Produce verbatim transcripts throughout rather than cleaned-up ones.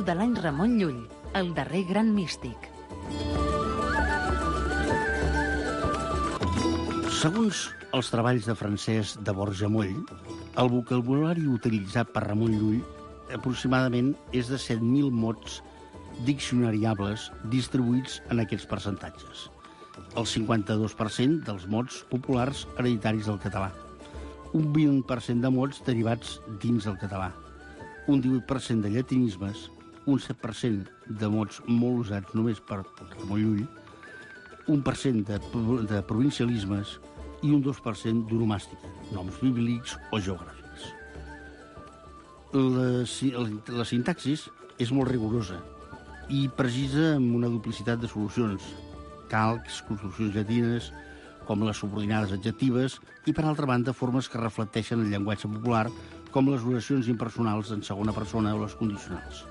de l'any Ramon Llull, el darrer gran místic. Segons els treballs de Francesc de Borja Moll, el vocabulari utilitzat per Ramon Llull aproximadament és de set mil mots diccionariables distribuïts en aquests percentatges. El cinquanta-dos per cent dels mots populars hereditaris del català, un vint per cent de mots derivats dins del català, un divuit per cent de llatinismes, un set per cent de mots molt usats només per Ramon Llull, un per cent de, de provincialismes i un dos per cent d'onomàstica, noms bíblics o geogràfics. La, la sintaxis és molt rigorosa i precisa amb una duplicitat de solucions, calcs, construccions llatines, com les subordinades adjectives, i, per altra banda, formes que reflecteixen el llenguatge popular, com les oracions impersonals en segona persona o les condicionals.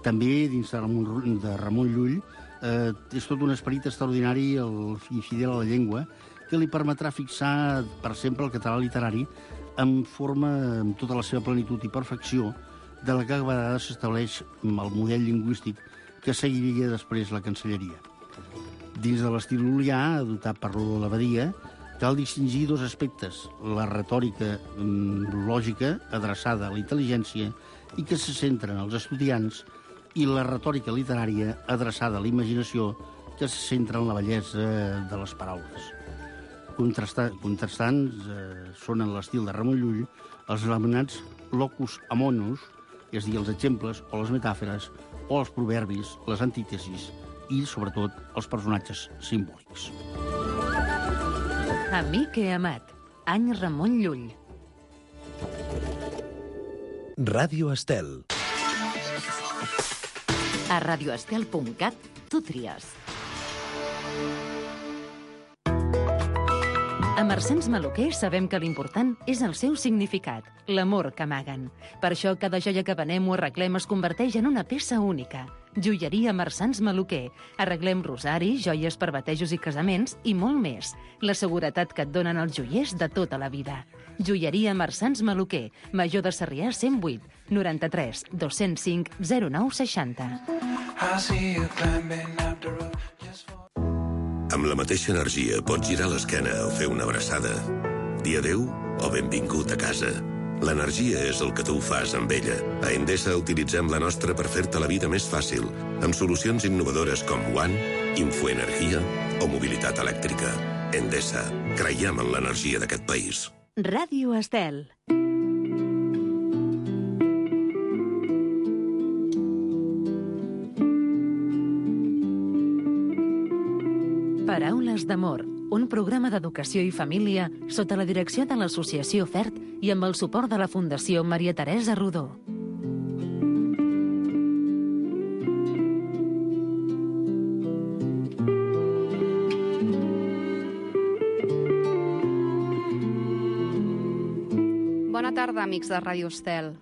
També, dins de Ramon, de Ramon Llull, eh, és tot un esperit extraordinari el, i fidel a la llengua que li permetrà fixar per sempre el català literari en forma, amb tota la seva plenitud i perfecció, de la que a vegades s'estableix el model lingüístic que seguiria després la cancelleria. Dins de l'estil lul·lià, adoptat per Rodó l'Abadia, cal distingir dos aspectes: la retòrica lògica, adreçada a la intel·ligència i que se centra en els estudiants, i la retòrica literària, adreçada a la imaginació, que se centra en la bellesa de les paraules. Contrasta, contrastants eh, són en l'estil de Ramon Llull els anomenats locus amonos, és a dir, els exemples o les metàfores, o els proverbis, les antítesis i, sobretot, els personatges simbòlics. Amic i amat, any Ramon Llull. Ràdio Estel. A radioestel punt cat tu tries. A Marsans Maluquer sabem que l'important és el seu significat, l'amor que amaguen. Per això cada joia que venem o arreglem es converteix en una peça única. Joieria Marsans Maluquer. Arreglem rosari, joies per batejos i casaments i molt més. La seguretat que et donen els joiers de tota la vida. Joieria Marsans Maluquer, Major de Sarrià cent vuit, noranta-tres, dos-cents cinc, zero nou seixanta. Amb la mateixa energia pots girar l'esquena o fer una abraçada. Dir adéu o benvingut a casa. L'energia és el que tu fas amb ella. A Endesa utilitzem la nostra per fer-te la vida més fàcil, amb solucions innovadores com One, Infoenergia o mobilitat elèctrica. Endesa. Creiem en l'energia d'aquest país. Ràdio Estel. Paraules d'amor, un programa d'educació i família sota la direcció de l'Associació FERT i amb el suport de la Fundació Maria Teresa Rodó. Bona tarda, amics de Ràdio Estel.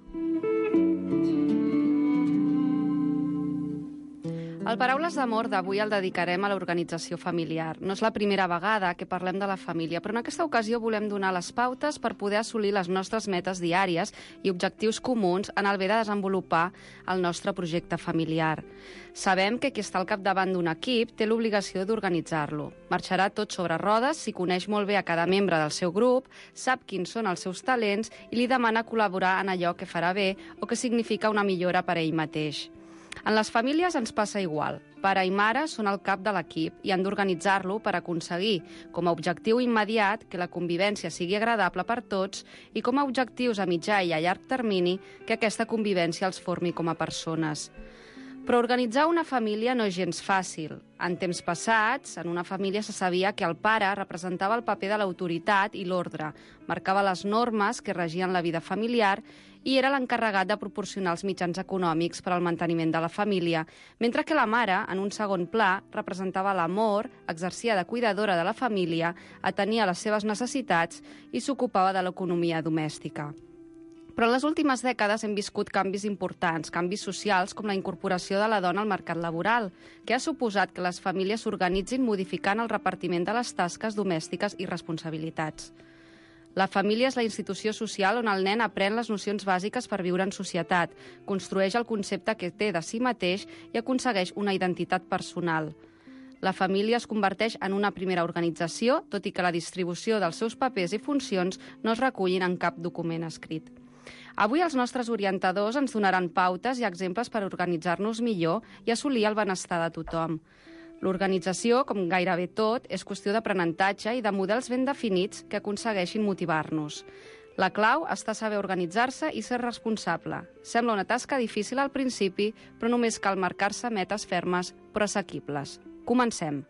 El Paraules d'Amor d'avui el dedicarem a l'organització familiar. No és la primera vegada que parlem de la família, però en aquesta ocasió volem donar les pautes per poder assolir les nostres metes diàries i objectius comuns en el bé de desenvolupar el nostre projecte familiar. Sabem que qui està al capdavant d'un equip té l'obligació d'organitzar-lo. Marxarà tot sobre rodes si coneix molt bé a cada membre del seu grup, sap quins són els seus talents i li demana col·laborar en allò que farà bé o que significa una millora per a ell mateix. En les famílies ens passa igual. Pare i mare són el cap de l'equip i han d'organitzar-lo per aconseguir, com a objectiu immediat, que la convivència sigui agradable per tots i com a objectius a mitjà i a llarg termini que aquesta convivència els formi com a persones. Però organitzar una família no és gens fàcil. En temps passats, en una família se sabia que el pare representava el paper de l'autoritat i l'ordre, marcava les normes que regien la vida familiar i era l'encarregat de proporcionar els mitjans econòmics per al manteniment de la família, mentre que la mare, en un segon pla, representava l'amor, exercia de cuidadora de la família, atenia les seves necessitats i s'ocupava de l'economia domèstica. Però en les últimes dècades hem viscut canvis importants, canvis socials com la incorporació de la dona al mercat laboral, que ha suposat que les famílies s'organitzin modificant el repartiment de les tasques domèstiques i responsabilitats. La família és la institució social on el nen aprèn les nocions bàsiques per viure en societat, construeix el concepte que té de si mateix i aconsegueix una identitat personal. La família es converteix en una primera organització, tot i que la distribució dels seus papers i funcions no es recullin en cap document escrit. Avui els nostres orientadors ens donaran pautes i exemples per organitzar-nos millor i assolir el benestar de tothom. L'organització, com gairebé tot, és qüestió d'aprenentatge i de models ben definits que aconsegueixin motivar-nos. La clau està a saber organitzar-se i ser responsable. Sembla una tasca difícil al principi, però només cal marcar-se metes fermes però assequibles. Comencem.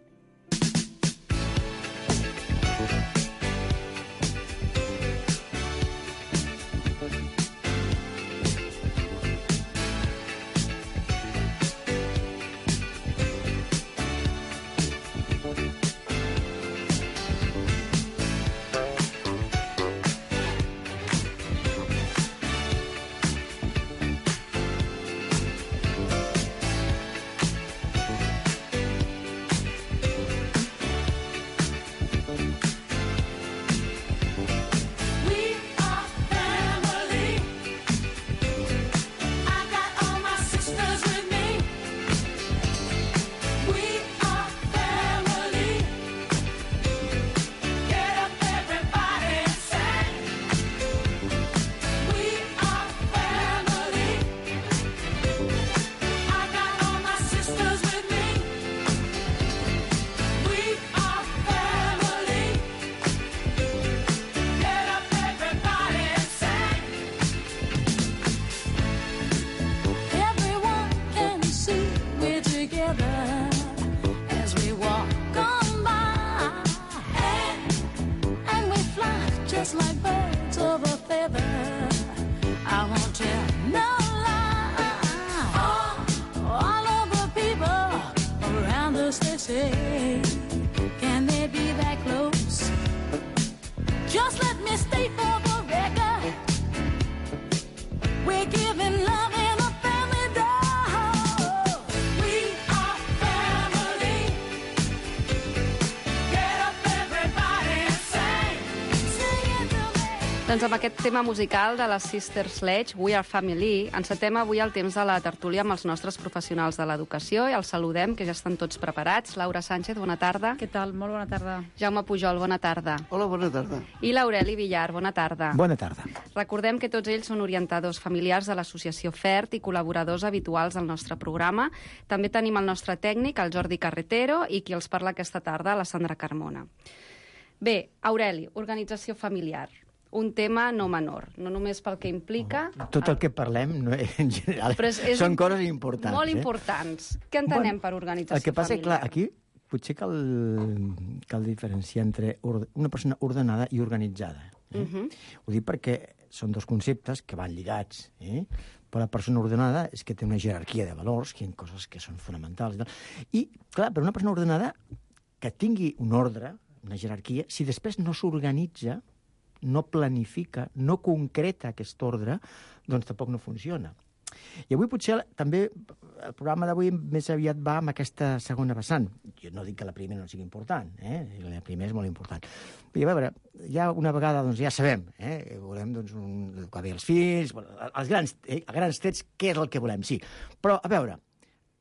Doncs amb aquest tema musical de les Sister Sledge, We Are Family, encetem avui el temps de la tertúlia amb els nostres professionals de l'educació i els saludem, que ja estan tots preparats. Laura Sánchez, bona tarda. Què tal? Molt bona tarda. Jaume Pujol, bona tarda. Hola, bona tarda. I l'Aureli Villar, bona tarda. Bona tarda. Recordem que tots ells són orientadors familiars de l'associació FERT i col·laboradors habituals del nostre programa. També tenim el nostre tècnic, el Jordi Carretero, i qui els parla aquesta tarda, la Sandra Carmona. Bé, Aureli, organització familiar. Un tema no menor, no només pel que implica... Tot el que parlem, no, en general, és, és són coses importants. Molt importants. Eh? Què entenem bueno, per organització familiar? El que passa és, clar, aquí potser cal, cal diferenciar entre una persona ordenada i organitzada. Eh? Uh-huh. Ho dic perquè són dos conceptes que van lligats. Eh? Però la persona ordenada és que té una jerarquia de valors, que hi ha coses que són fonamentals. I, tal. I clar, per una persona ordenada que tingui un ordre, una jerarquia, si després no s'organitza, no planifica, no concreta aquest ordre, doncs tampoc no funciona. I avui potser també el programa d'avui més aviat va amb aquesta segona vessant. Jo no dic que la primera no sigui important, eh? La primera és molt important. I a veure, ja una vegada doncs, ja sabem, eh? Volem doncs, un, educar bé els fills, els grans, eh? a grans trets, què és el que volem, sí. Però, a veure,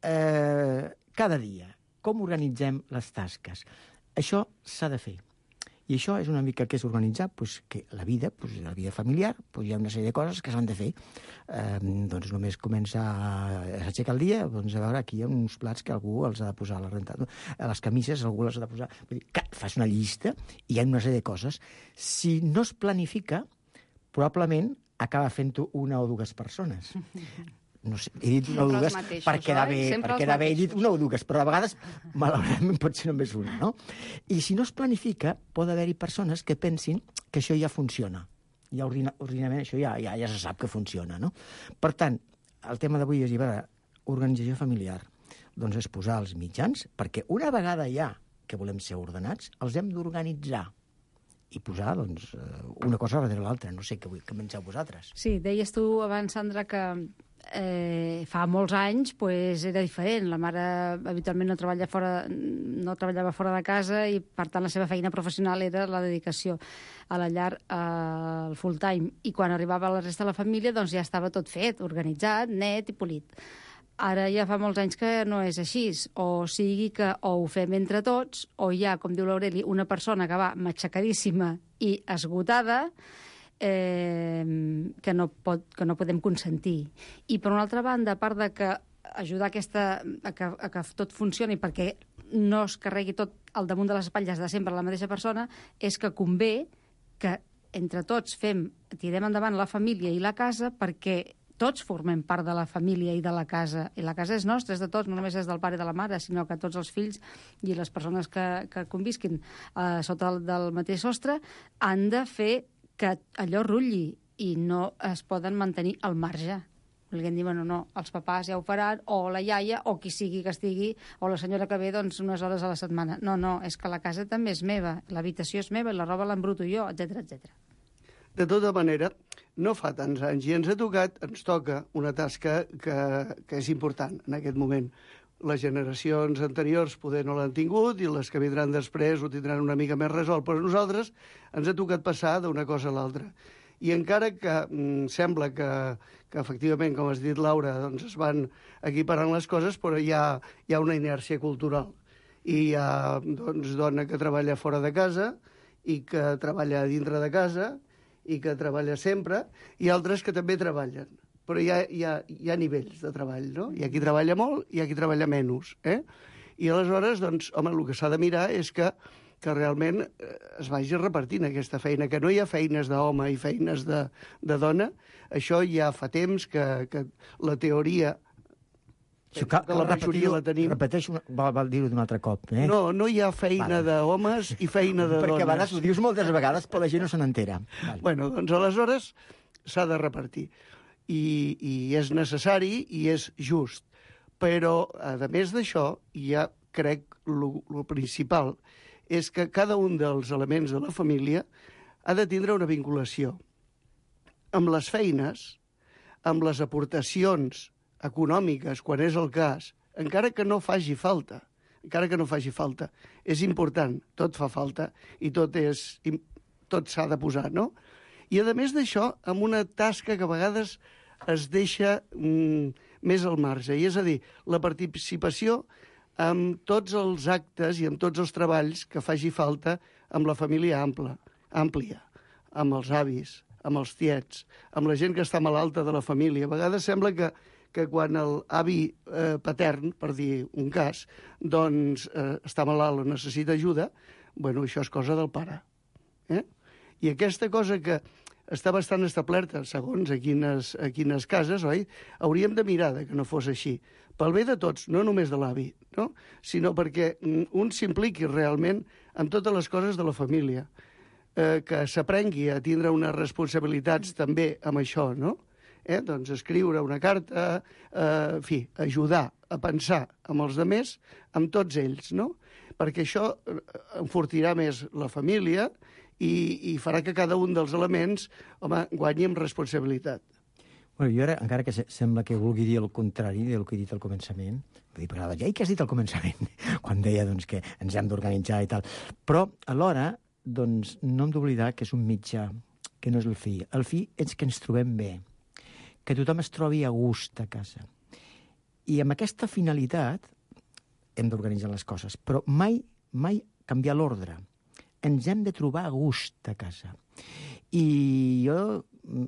eh, cada dia, com organitzem les tasques? Això s'ha de fer. I això és una mica que és organitzar pues, que la vida, pues, la vida familiar, pues, hi ha una sèrie de coses que s'han de fer. Eh, doncs només comença a s'aixecar el dia, doncs a veure, aquí hi ha uns plats que algú els ha de posar a la renta, a les camises algú les ha de posar... Vull dir, que fas una llista i hi ha una sèrie de coses. Si no es planifica, probablement acaba fent-ho una o dues persones. No sé, he dit una o dues per quedar bé, per quedar bé, he dit una o dues, però a vegades, malauradament, pot ser només una, no? I si no es planifica, pot haver-hi persones que pensin que això ja funciona. Ja ordina, ordinament això ja, ja, ja se sap que funciona, no? Per tant, el tema d'avui és, a veure, organització familiar. Doncs és posar els mitjans, perquè una vegada ja que volem ser ordenats, els hem d'organitzar i posar, doncs, una cosa darrere l'altra. No sé què vull començar vosaltres. Sí, deies tu abans, Sandra, que eh, fa molts anys pues, era diferent. La mare habitualment no, treballa fora, no treballava fora de casa i, per tant, la seva feina professional era la dedicació a la llar al full time. I quan arribava la resta de la família doncs ja estava tot fet, organitzat, net i polit. Ara ja fa molts anys que no és així, o sigui que o ho fem entre tots, o hi ha, com diu l'Aureli, una persona que va matxacadíssima i esgotada, eh, que, no pot, que no podem consentir. I, per una altra banda, a part de que ajudar aquesta, a, que, a que tot funcioni perquè no es carregui tot al damunt de les espatlles de sempre la mateixa persona, és que convé que entre tots fem, tirem endavant la família i la casa perquè tots formem part de la família i de la casa. I la casa és nostra, és de tots, no només és del pare i de la mare, sinó que tots els fills i les persones que, que convisquin eh, sota el, del mateix sostre han de fer que allò rutlli i no es poden mantenir al marge. Volguem dir, bueno, no, els papàs ja ho faran, o la iaia, o qui sigui que estigui, o la senyora que ve doncs, unes hores a la setmana. No, no, és que la casa també és meva, l'habitació és meva i la roba l'embruto jo, etcètera, etcètera. De tota manera, no fa tants anys i ens ha tocat, ens toca una tasca que, que és important en aquest moment. Les generacions anteriors poder no l'han tingut i les que vindran després ho tindran una mica més resolt, però nosaltres ens ha tocat passar d'una cosa a l'altra. I encara que mm, sembla que, que efectivament, com has dit, Laura, doncs es van equiparant les coses, però hi ha, hi ha una inèrcia cultural. I hi ha doncs, dona que treballa fora de casa i que treballa dintre de casa i que treballa sempre, i altres que també treballen. Però hi ha, hi ha, hi ha nivells de treball, no? Hi ha qui treballa molt i hi ha qui treballa menys. Eh? I aleshores, doncs, home, el que s'ha de mirar és que, que realment es vagi repartint aquesta feina, que no hi ha feines d'home i feines de, de dona. Això ja fa temps que, que la teoria... Això cal, cal la majoria la tenim. Repeteixo, val, val dir-ho d'un altre cop. Eh? No, no hi ha feina vale. d'homes i feina de Perquè dones. Perquè a vegades ho dius moltes vegades, però la gent no se n'entera. Vale. Bueno, doncs aleshores s'ha de repartir. I, I és necessari i és just. Però, a més d'això, ja crec el principal és que cada un dels elements de la família ha de tindre una vinculació amb les feines, amb les aportacions econòmiques, quan és el cas, encara que no faci falta, encara que no faci falta. És important, tot fa falta i tot és tot s'ha de posar, no? I, a més d'això, amb una tasca que a vegades es deixa mm, més al marge, i és a dir, la participació amb tots els actes i amb tots els treballs que faci falta amb la família ampla, àmplia, amb els avis, amb els tiets, amb la gent que està malalta de la família. A vegades sembla que que quan l'avi eh, patern, per dir un cas, doncs eh, està malalt o necessita ajuda, bueno, això és cosa del pare. Eh? I aquesta cosa que està bastant establerta, segons a quines, a quines cases, oi? Hauríem de mirar que no fos així. Pel bé de tots, no només de l'avi, no? Sinó perquè un s'impliqui realment en totes les coses de la família, eh, que s'aprengui a tindre unes responsabilitats també amb això, no? Eh, doncs escriure una carta, eh, en fi, ajudar a pensar amb els altres, amb tots ells, no? Perquè això enfortirà més la família i, i farà que cada un dels elements, home, guanyi amb responsabilitat. Bueno, jo ara, encara que se sembla que vulgui dir el contrari del que he dit al començament, vull dir, però ja, i què has dit al començament? Quan deia doncs, que ens hem d'organitzar i tal. Però, alhora, doncs, no hem d'oblidar que és un mitjà, que no és el fi. El fi és que ens trobem bé, que tothom es trobi a gust a casa. I amb aquesta finalitat hem d'organitzar les coses, però mai, mai canviar l'ordre. Ens hem de trobar a gust a casa. I jo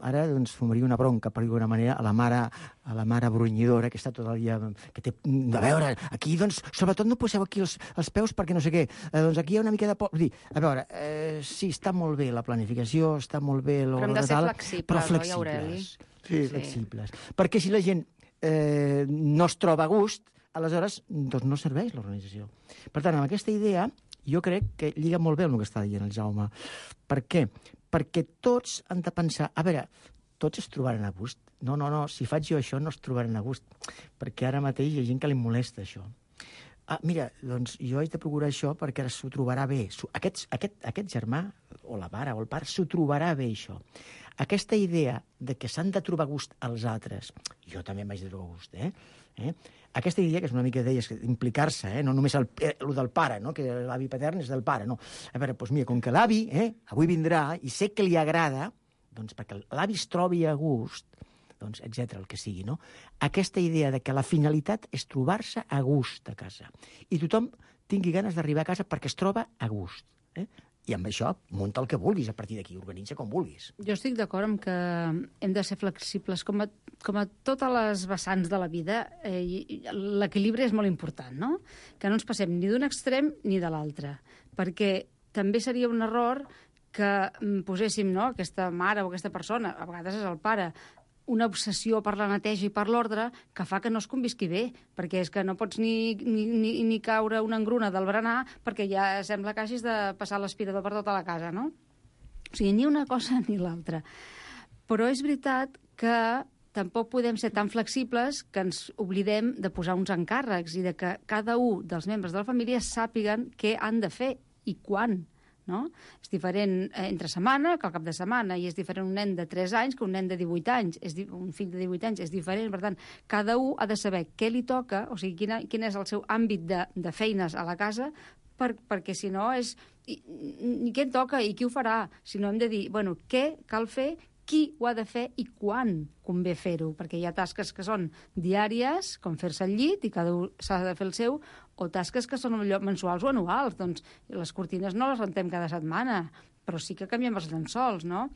ara doncs, fumaria una bronca, per dir-ho d'una manera, a la mare, a la mare brunyidora que està tot el dia... Que té, a veure, aquí, doncs, sobretot no poseu aquí els, els peus perquè no sé què. Eh, doncs aquí hi ha una mica de... Por... Dir, a veure, eh, sí, està molt bé la planificació, està molt bé... Però hem de ser flexibles, però flexibles, oi, Aureli? Sí, flexibles. Sí. Perquè si la gent eh, no es troba a gust, aleshores doncs no serveix l'organització. Per tant, amb aquesta idea, jo crec que lliga molt bé amb el que està dient el Jaume. Per què? Perquè tots han de pensar, a veure, tots es trobaran a gust. No, no, no, si faig jo això no es trobaran a gust, perquè ara mateix hi ha gent que li molesta això. Ah, mira, doncs jo haig de procurar això perquè ara s'ho trobarà bé. Aquest, aquest, aquest germà, o la mare o el pare s'ho trobarà bé, això. Aquesta idea de que s'han de trobar gust als altres, jo també m'haig de trobar gust, eh? eh? Aquesta idea, que és una mica deies, implicar-se, eh? no només el, el del pare, no? que l'avi patern és del pare, no. A veure, doncs mira, com que l'avi eh, avui vindrà i sé que li agrada, doncs perquè l'avi es trobi a gust, doncs, etcètera, el que sigui, no? Aquesta idea de que la finalitat és trobar-se a gust a casa. I tothom tingui ganes d'arribar a casa perquè es troba a gust. Eh? I amb això, munta el que vulguis a partir d'aquí, organitza com vulguis. Jo estic d'acord amb que hem de ser flexibles. Com a, com a totes les vessants de la vida, eh, l'equilibri és molt important, no? Que no ens passem ni d'un extrem ni de l'altre. Perquè també seria un error que poséssim, no?, aquesta mare o aquesta persona, a vegades és el pare, una obsessió per la neteja i per l'ordre que fa que no es convisqui bé, perquè és que no pots ni, ni, ni, ni caure una engruna del berenar perquè ja sembla que hagis de passar l'aspirador per tota la casa, no? O sigui, ni una cosa ni l'altra. Però és veritat que tampoc podem ser tan flexibles que ens oblidem de posar uns encàrrecs i de que cada un dels membres de la família sàpiguen què han de fer i quan. No? És diferent entre setmana que al cap de setmana, i és diferent un nen de tres anys que un nen de divuit anys, és un fill de divuit anys és diferent, per tant, cada un ha de saber què li toca, o sigui, quina, quin és el seu àmbit de, de feines a la casa, per, perquè si no és... I, i què em toca i qui ho farà? Si no hem de dir, bueno, què cal fer, qui ho ha de fer i quan convé fer-ho, perquè hi ha tasques que són diàries, com fer-se al llit, i cada un s'ha de fer el seu, o tasques que són mensuals o anuals. Doncs les cortines no les rentem cada setmana, però sí que canviem els llençols, no?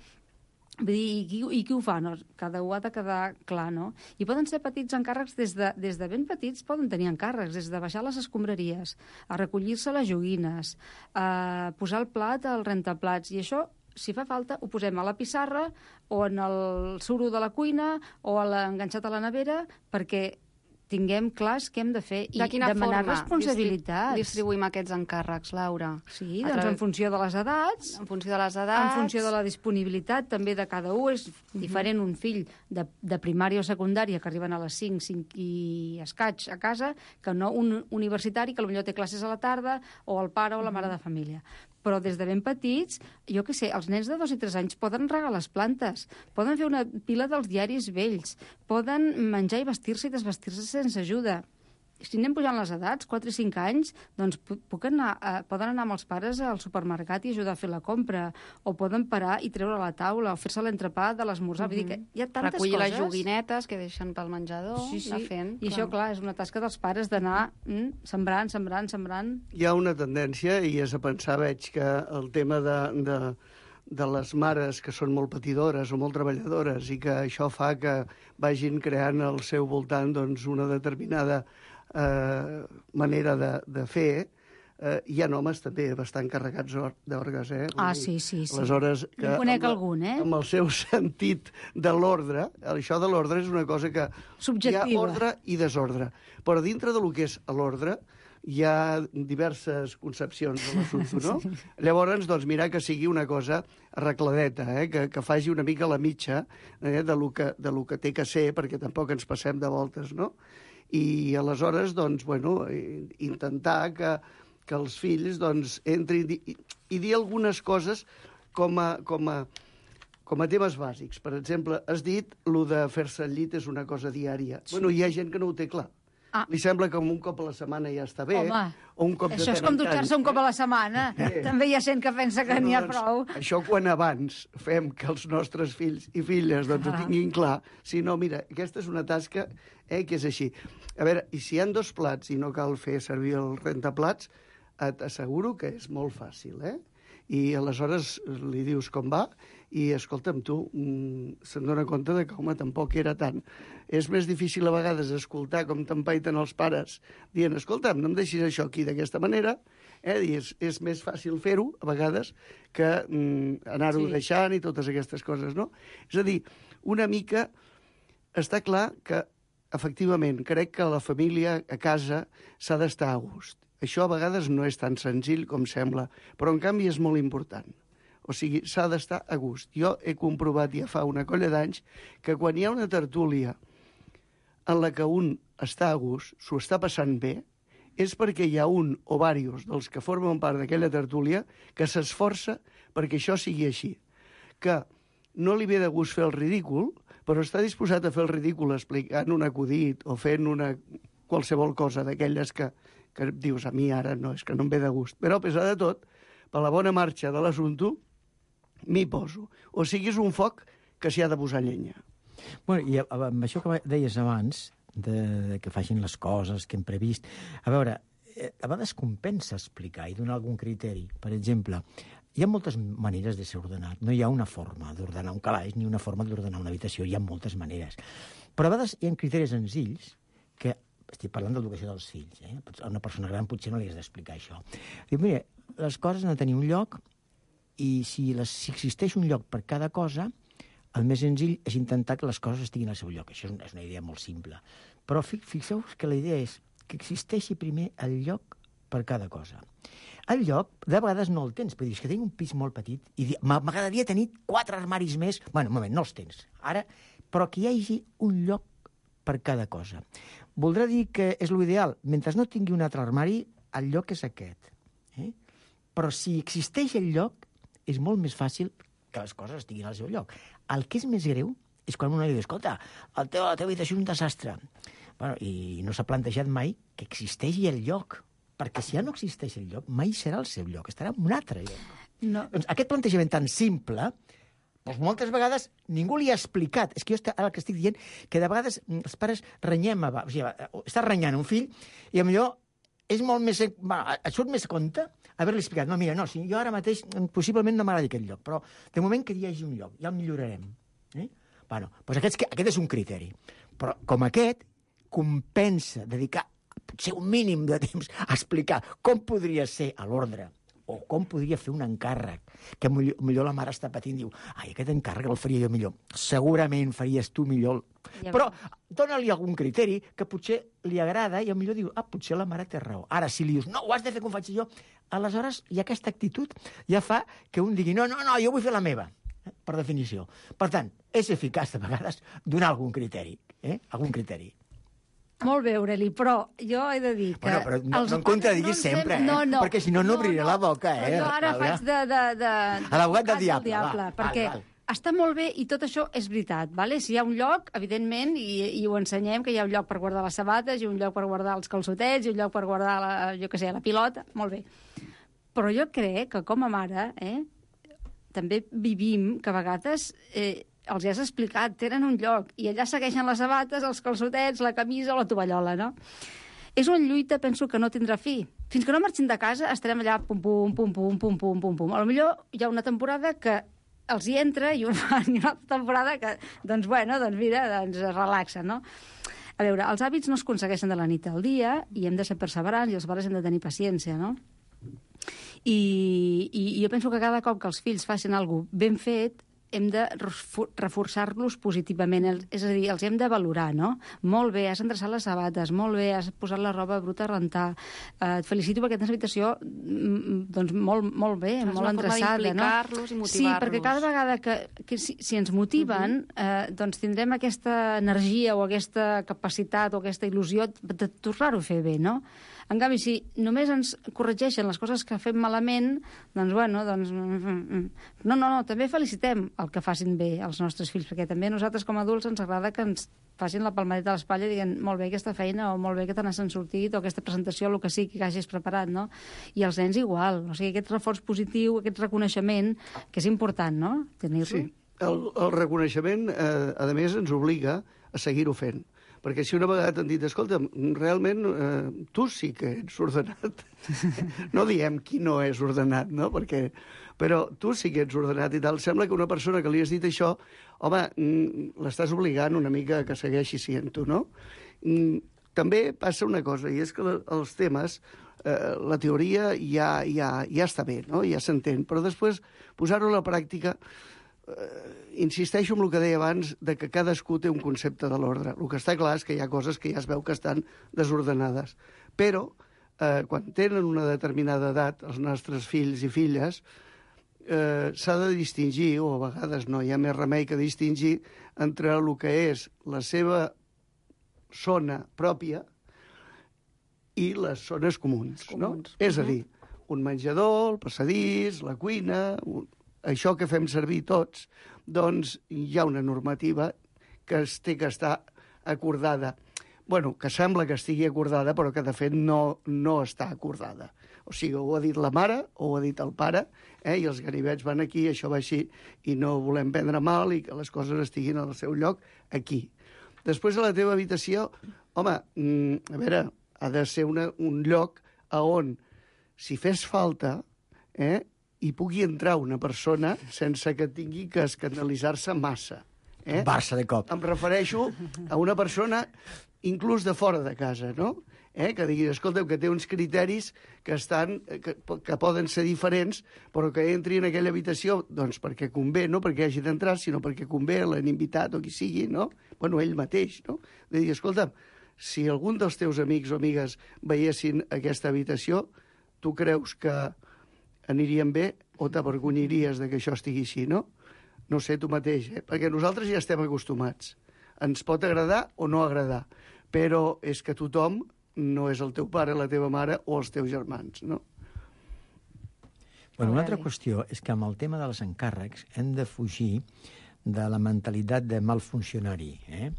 Vull dir, i qui, i qui ho fa? No? Cada un ha de quedar clar, no? I poden ser petits encàrrecs, des de, des de ben petits poden tenir encàrrecs, des de baixar les escombraries, a recollir-se les joguines, a posar el plat al rentaplats, i això, si fa falta, ho posem a la pissarra o en el suro de la cuina o a la, enganxat a la nevera, perquè tinguem clars què hem de fer i de quina demanar forma responsabilitats. Distribuïm aquests encàrrecs, Laura? Sí, doncs en funció de les edats. En funció de les edats. En funció de la disponibilitat també de cada un. És diferent un fill de, de primària o secundària que arriben a les cinc, cinc i escaig a casa, que no un universitari que potser té classes a la tarda, o el pare o la mare de família. Però des de ben petits, jo què sé, els nens de dos i tres anys poden regar les plantes, poden fer una pila dels diaris vells, poden menjar i vestir-se i desvestir-se sense ajuda. Si anem pujant les edats, quatre i cinc anys, doncs puc anar, eh, poden anar amb els pares al supermercat i ajudar a fer la compra, o poden parar i treure la taula, o fer-se l'entrepà de l'esmorzar. Mm-hmm. Vull dir que hi ha tantes Recollir coses. les joguinetes que deixen pel menjador, sí, sí. anar fent. I clar. Això, clar, és una tasca dels pares d'anar mm, sembrant, sembrant, sembrant. Hi ha una tendència, i és a pensar, veig que el tema de, de, de les mares que són molt patidores o molt treballadores i que això fa que vagin creant al seu voltant doncs, una determinada Eh, manera de, de fer, eh, hi ha homes també bastant carregats d'orgues, eh? Ah, sí, sí, sí. Aleshores, que jo conec amb, algun, eh? Amb el seu sentit de l'ordre, això de l'ordre és una cosa que... Subjectiva. Hi ha ordre i desordre. Però dintre de lo que és l'ordre, hi ha diverses concepcions de l'assumpte, no? Sí. Llavors, doncs, mirar que sigui una cosa arregladeta, eh? que, que faci una mica la mitja eh? de, lo que, de lo que té que ser, perquè tampoc ens passem de voltes, no? I aleshores, doncs, bueno, intentar que, que els fills doncs, entrin i, i dir algunes coses com a, com, a, com a temes bàsics. Per exemple, has dit lo de fer-se al llit és una cosa diària. Sí. Bueno, hi ha gent que no ho té clar. Ah. Li sembla que un cop a la setmana ja està bé. Home, o un cop això és com dutxar-se un cop a la setmana. Eh. També hi ha gent que pensa que n'hi ha doncs, prou. Això quan abans fem que els nostres fills i filles doncs, ah. ho tinguin clar. Si no, mira, aquesta és una tasca eh, que és així. A veure, i si hi ha dos plats i no cal fer servir el rentaplats, t'asseguro que és molt fàcil, eh? I aleshores li dius com va i, escolta'm, tu mm, se'n dona compte de que, home, tampoc era tant. És més difícil a vegades escoltar com t'empaiten els pares dient, escolta'm, no em deixis això aquí d'aquesta manera, eh? I és, és més fàcil fer-ho, a vegades, que mm, anar-ho sí. deixant i totes aquestes coses, no? És a dir, una mica està clar que, efectivament, crec que la família a casa s'ha d'estar a gust. Això a vegades no és tan senzill com sembla, però en canvi és molt important. O sigui, s'ha d'estar a gust. Jo he comprovat ja fa una colla d'anys que quan hi ha una tertúlia en la que un està a gust, s'ho està passant bé, és perquè hi ha un o diversos dels que formen part d'aquella tertúlia que s'esforça perquè això sigui així. Que no li ve de gust fer el ridícul, però està disposat a fer el ridícul explicant un acudit o fent una qualsevol cosa d'aquelles que, que dius, a mi ara no, és que no em ve de gust. Però, a pesar de tot, per la bona marxa de l'assumpte, m'hi poso. O sigui, és un foc que s'hi ha de posar llenya. Bueno, i amb això que deies abans, de, de que facin les coses que hem previst, a veure, a vegades compensa explicar i donar algun criteri. Per exemple, hi ha moltes maneres de ser ordenat. No hi ha una forma d'ordenar un calaix ni una forma d'ordenar una habitació. Hi ha moltes maneres. Però a vegades hi ha criteris senzills que... Estic parlant d'educació dels fills. Eh? A una persona gran potser no li has d'explicar això. Diu, mira, les coses han de tenir un lloc i si, les, si existeix un lloc per cada cosa, el més senzill és intentar que les coses estiguin al seu lloc. Això és una, és una idea molt simple. Però fixeu-vos que la idea és que existeixi primer el lloc per cada cosa. El lloc, de vegades no el tens, perquè dius que tinc un pis molt petit i m'agradaria tenir quatre armaris més. Bueno, un moment, no els tens. Ara, però que hi hagi un lloc per cada cosa. Voldrà dir que és l'ideal. Mentre no tingui un altre armari, el lloc és aquest. Eh? Però si existeix el lloc, és molt més fàcil que les coses estiguin al seu lloc. El que és més greu és quan una li diu, escolta, el teu, la teva habitació és un desastre. Bueno, i no s'ha plantejat mai que existeixi el lloc. Perquè si ja no existeix el lloc, mai serà el seu lloc, estarà en un altre lloc. No. Doncs aquest plantejament tan simple, doncs moltes vegades ningú li ha explicat. És que jo ara el que estic dient, que de vegades els pares renyem, o sigui, estàs renyant un fill i potser és molt més... Bueno, et surt més compte haver-li explicat. No, mira, no, si jo ara mateix possiblement no m'agradi aquest lloc, però de moment que hi hagi un lloc, ja el millorarem. Eh? Bueno, doncs aquest, aquest és un criteri. Però com aquest, compensa dedicar potser un mínim de temps a explicar com podria ser a l'ordre o com podria fer un encàrrec, que millor, millor la mare està patint i diu, ai, aquest encàrrec el faria jo millor. Segurament faries tu millor. Ja però dona-li algun criteri que potser li agrada i millor diu, ah, potser la mare té raó. Ara, si li dius, no, ho has de fer com faig jo, aleshores, i aquesta actitud ja fa que un digui, no, no, no, jo vull fer la meva, eh? Per definició. Per tant, és eficaç de vegades donar algun criteri, eh? Algun criteri. Molt bé, Aureli, però jo he de dir que... Bueno, però no, no em contradiguis no sempre, eh? No, no, perquè si no, no obriré no, no. la boca, eh? Jo ara Laura. faig de... de, de a l'abogat del diable, diable va. Perquè val, val. Està molt bé i tot això és veritat, vale? Si hi ha un lloc, evidentment, i, i ho ensenyem, que hi ha un lloc per guardar les sabates, i un lloc per guardar els calçotets, i un lloc per guardar, la, jo què sé, la pilota, molt bé. Però jo crec que com a mare, eh, també vivim que a vegades... Eh, els ja has explicat, tenen un lloc, i allà segueixen les sabates, els calçotets, la camisa o la tovallola, no? És una lluita, penso, que no tindrà fi. Fins que no marxin de casa, estarem allà pum, pum, pum, pum, pum, pum, pum, pum. A lo millor hi ha una temporada que els hi entra i una altra temporada que, doncs, bueno, doncs mira, doncs es relaxa, no? A veure, els hàbits no es aconsegueixen de la nit al dia i hem de ser perseverants i els pares hem de tenir paciència, no? I, i, i jo penso que cada cop que els fills facin alguna cosa ben fet, hem de reforçar-los positivament, és a dir, els hem de valorar, no? Molt bé, has endreçat les sabates, molt bé, has posat la roba bruta a rentar, eh, et felicito perquè tens habitació doncs molt, molt bé, és molt endreçada, no? I motivar-los. Sí, perquè cada vegada que, que si, si ens motiven, uh -huh. eh, doncs tindrem aquesta energia o aquesta capacitat o aquesta il·lusió de tornar-ho a fer bé, no? En canvi, si només ens corregeixen les coses que fem malament, doncs, bueno, doncs... No, no, no, també felicitem el que facin bé els nostres fills, perquè també a nosaltres com a adults ens agrada que ens facin la palmadeta a l'espatlla i diguin molt bé aquesta feina, o molt bé que te n'has sortit, o aquesta presentació, el que sigui que hagis preparat, no? I els nens igual, o sigui, aquest reforç positiu, aquest reconeixement, que és important, no?, tenir-lo. Sí, el, el reconeixement, eh, a més, ens obliga a seguir-ho fent. Perquè si una vegada t'han dit, escolta, realment eh, tu sí que ets ordenat. No diem qui no és ordenat, no? Perquè, però tu sí que ets ordenat i tal. Sembla que una persona que li has dit això, home, l'estàs obligant una mica que segueixi sent-ho, no? També passa una cosa, i és que els temes, eh, la teoria ja, ja, ja està bé, no? Ja s'entén, però després posar-ho a la pràctica... Uh, insisteixo en el que deia abans de que cadascú té un concepte de l'ordre. El que està clar és que hi ha coses que ja es veu que estan desordenades. Però, uh, quan tenen una determinada edat, els nostres fills i filles, uh, s'ha de distingir, o a vegades no hi ha més remei que distingir, entre el que és la seva zona pròpia i les zones comuns. comuns. No? És a dir, un menjador, el passadís, la cuina... Un... això que fem servir tots, doncs hi ha una normativa que es té que estar acordada. Bueno, que sembla que estigui acordada, però que de fet no, no està acordada. O sigui, ho ha dit la mare, o ho ha dit el pare, eh? I els ganivets van aquí, això va així, i no volem prendre mal i que les coses estiguin al seu lloc aquí. Després, a la teva habitació, home, mm, a veure, ha de ser una, un lloc a on, si fes falta, eh, hi pugui entrar una persona sense que tingui que escandalitzar-se massa. Eh? Barça de cop. Em refereixo a una persona inclús de fora de casa, no? Eh? Que digui, escolteu, que té uns criteris que, estan, que, que poden ser diferents, però que entri en aquella habitació doncs perquè convé, no perquè hagi d'entrar, sinó perquè convé, l'han invitat o qui sigui, no? Bueno, ell mateix, no? De dir, escolta, si algun dels teus amics o amigues veiessin aquesta habitació, tu creus que anirien bé o t'avergonyiries de que això estigui així, no? No sé, tu mateix, eh? Perquè nosaltres ja estem acostumats. Ens pot agradar o no agradar, però és que tothom no és el teu pare, la teva mare o els teus germans, no? Bueno, una altra qüestió és que amb el tema dels encàrrecs hem de fugir de la mentalitat de mal funcionari. Eh?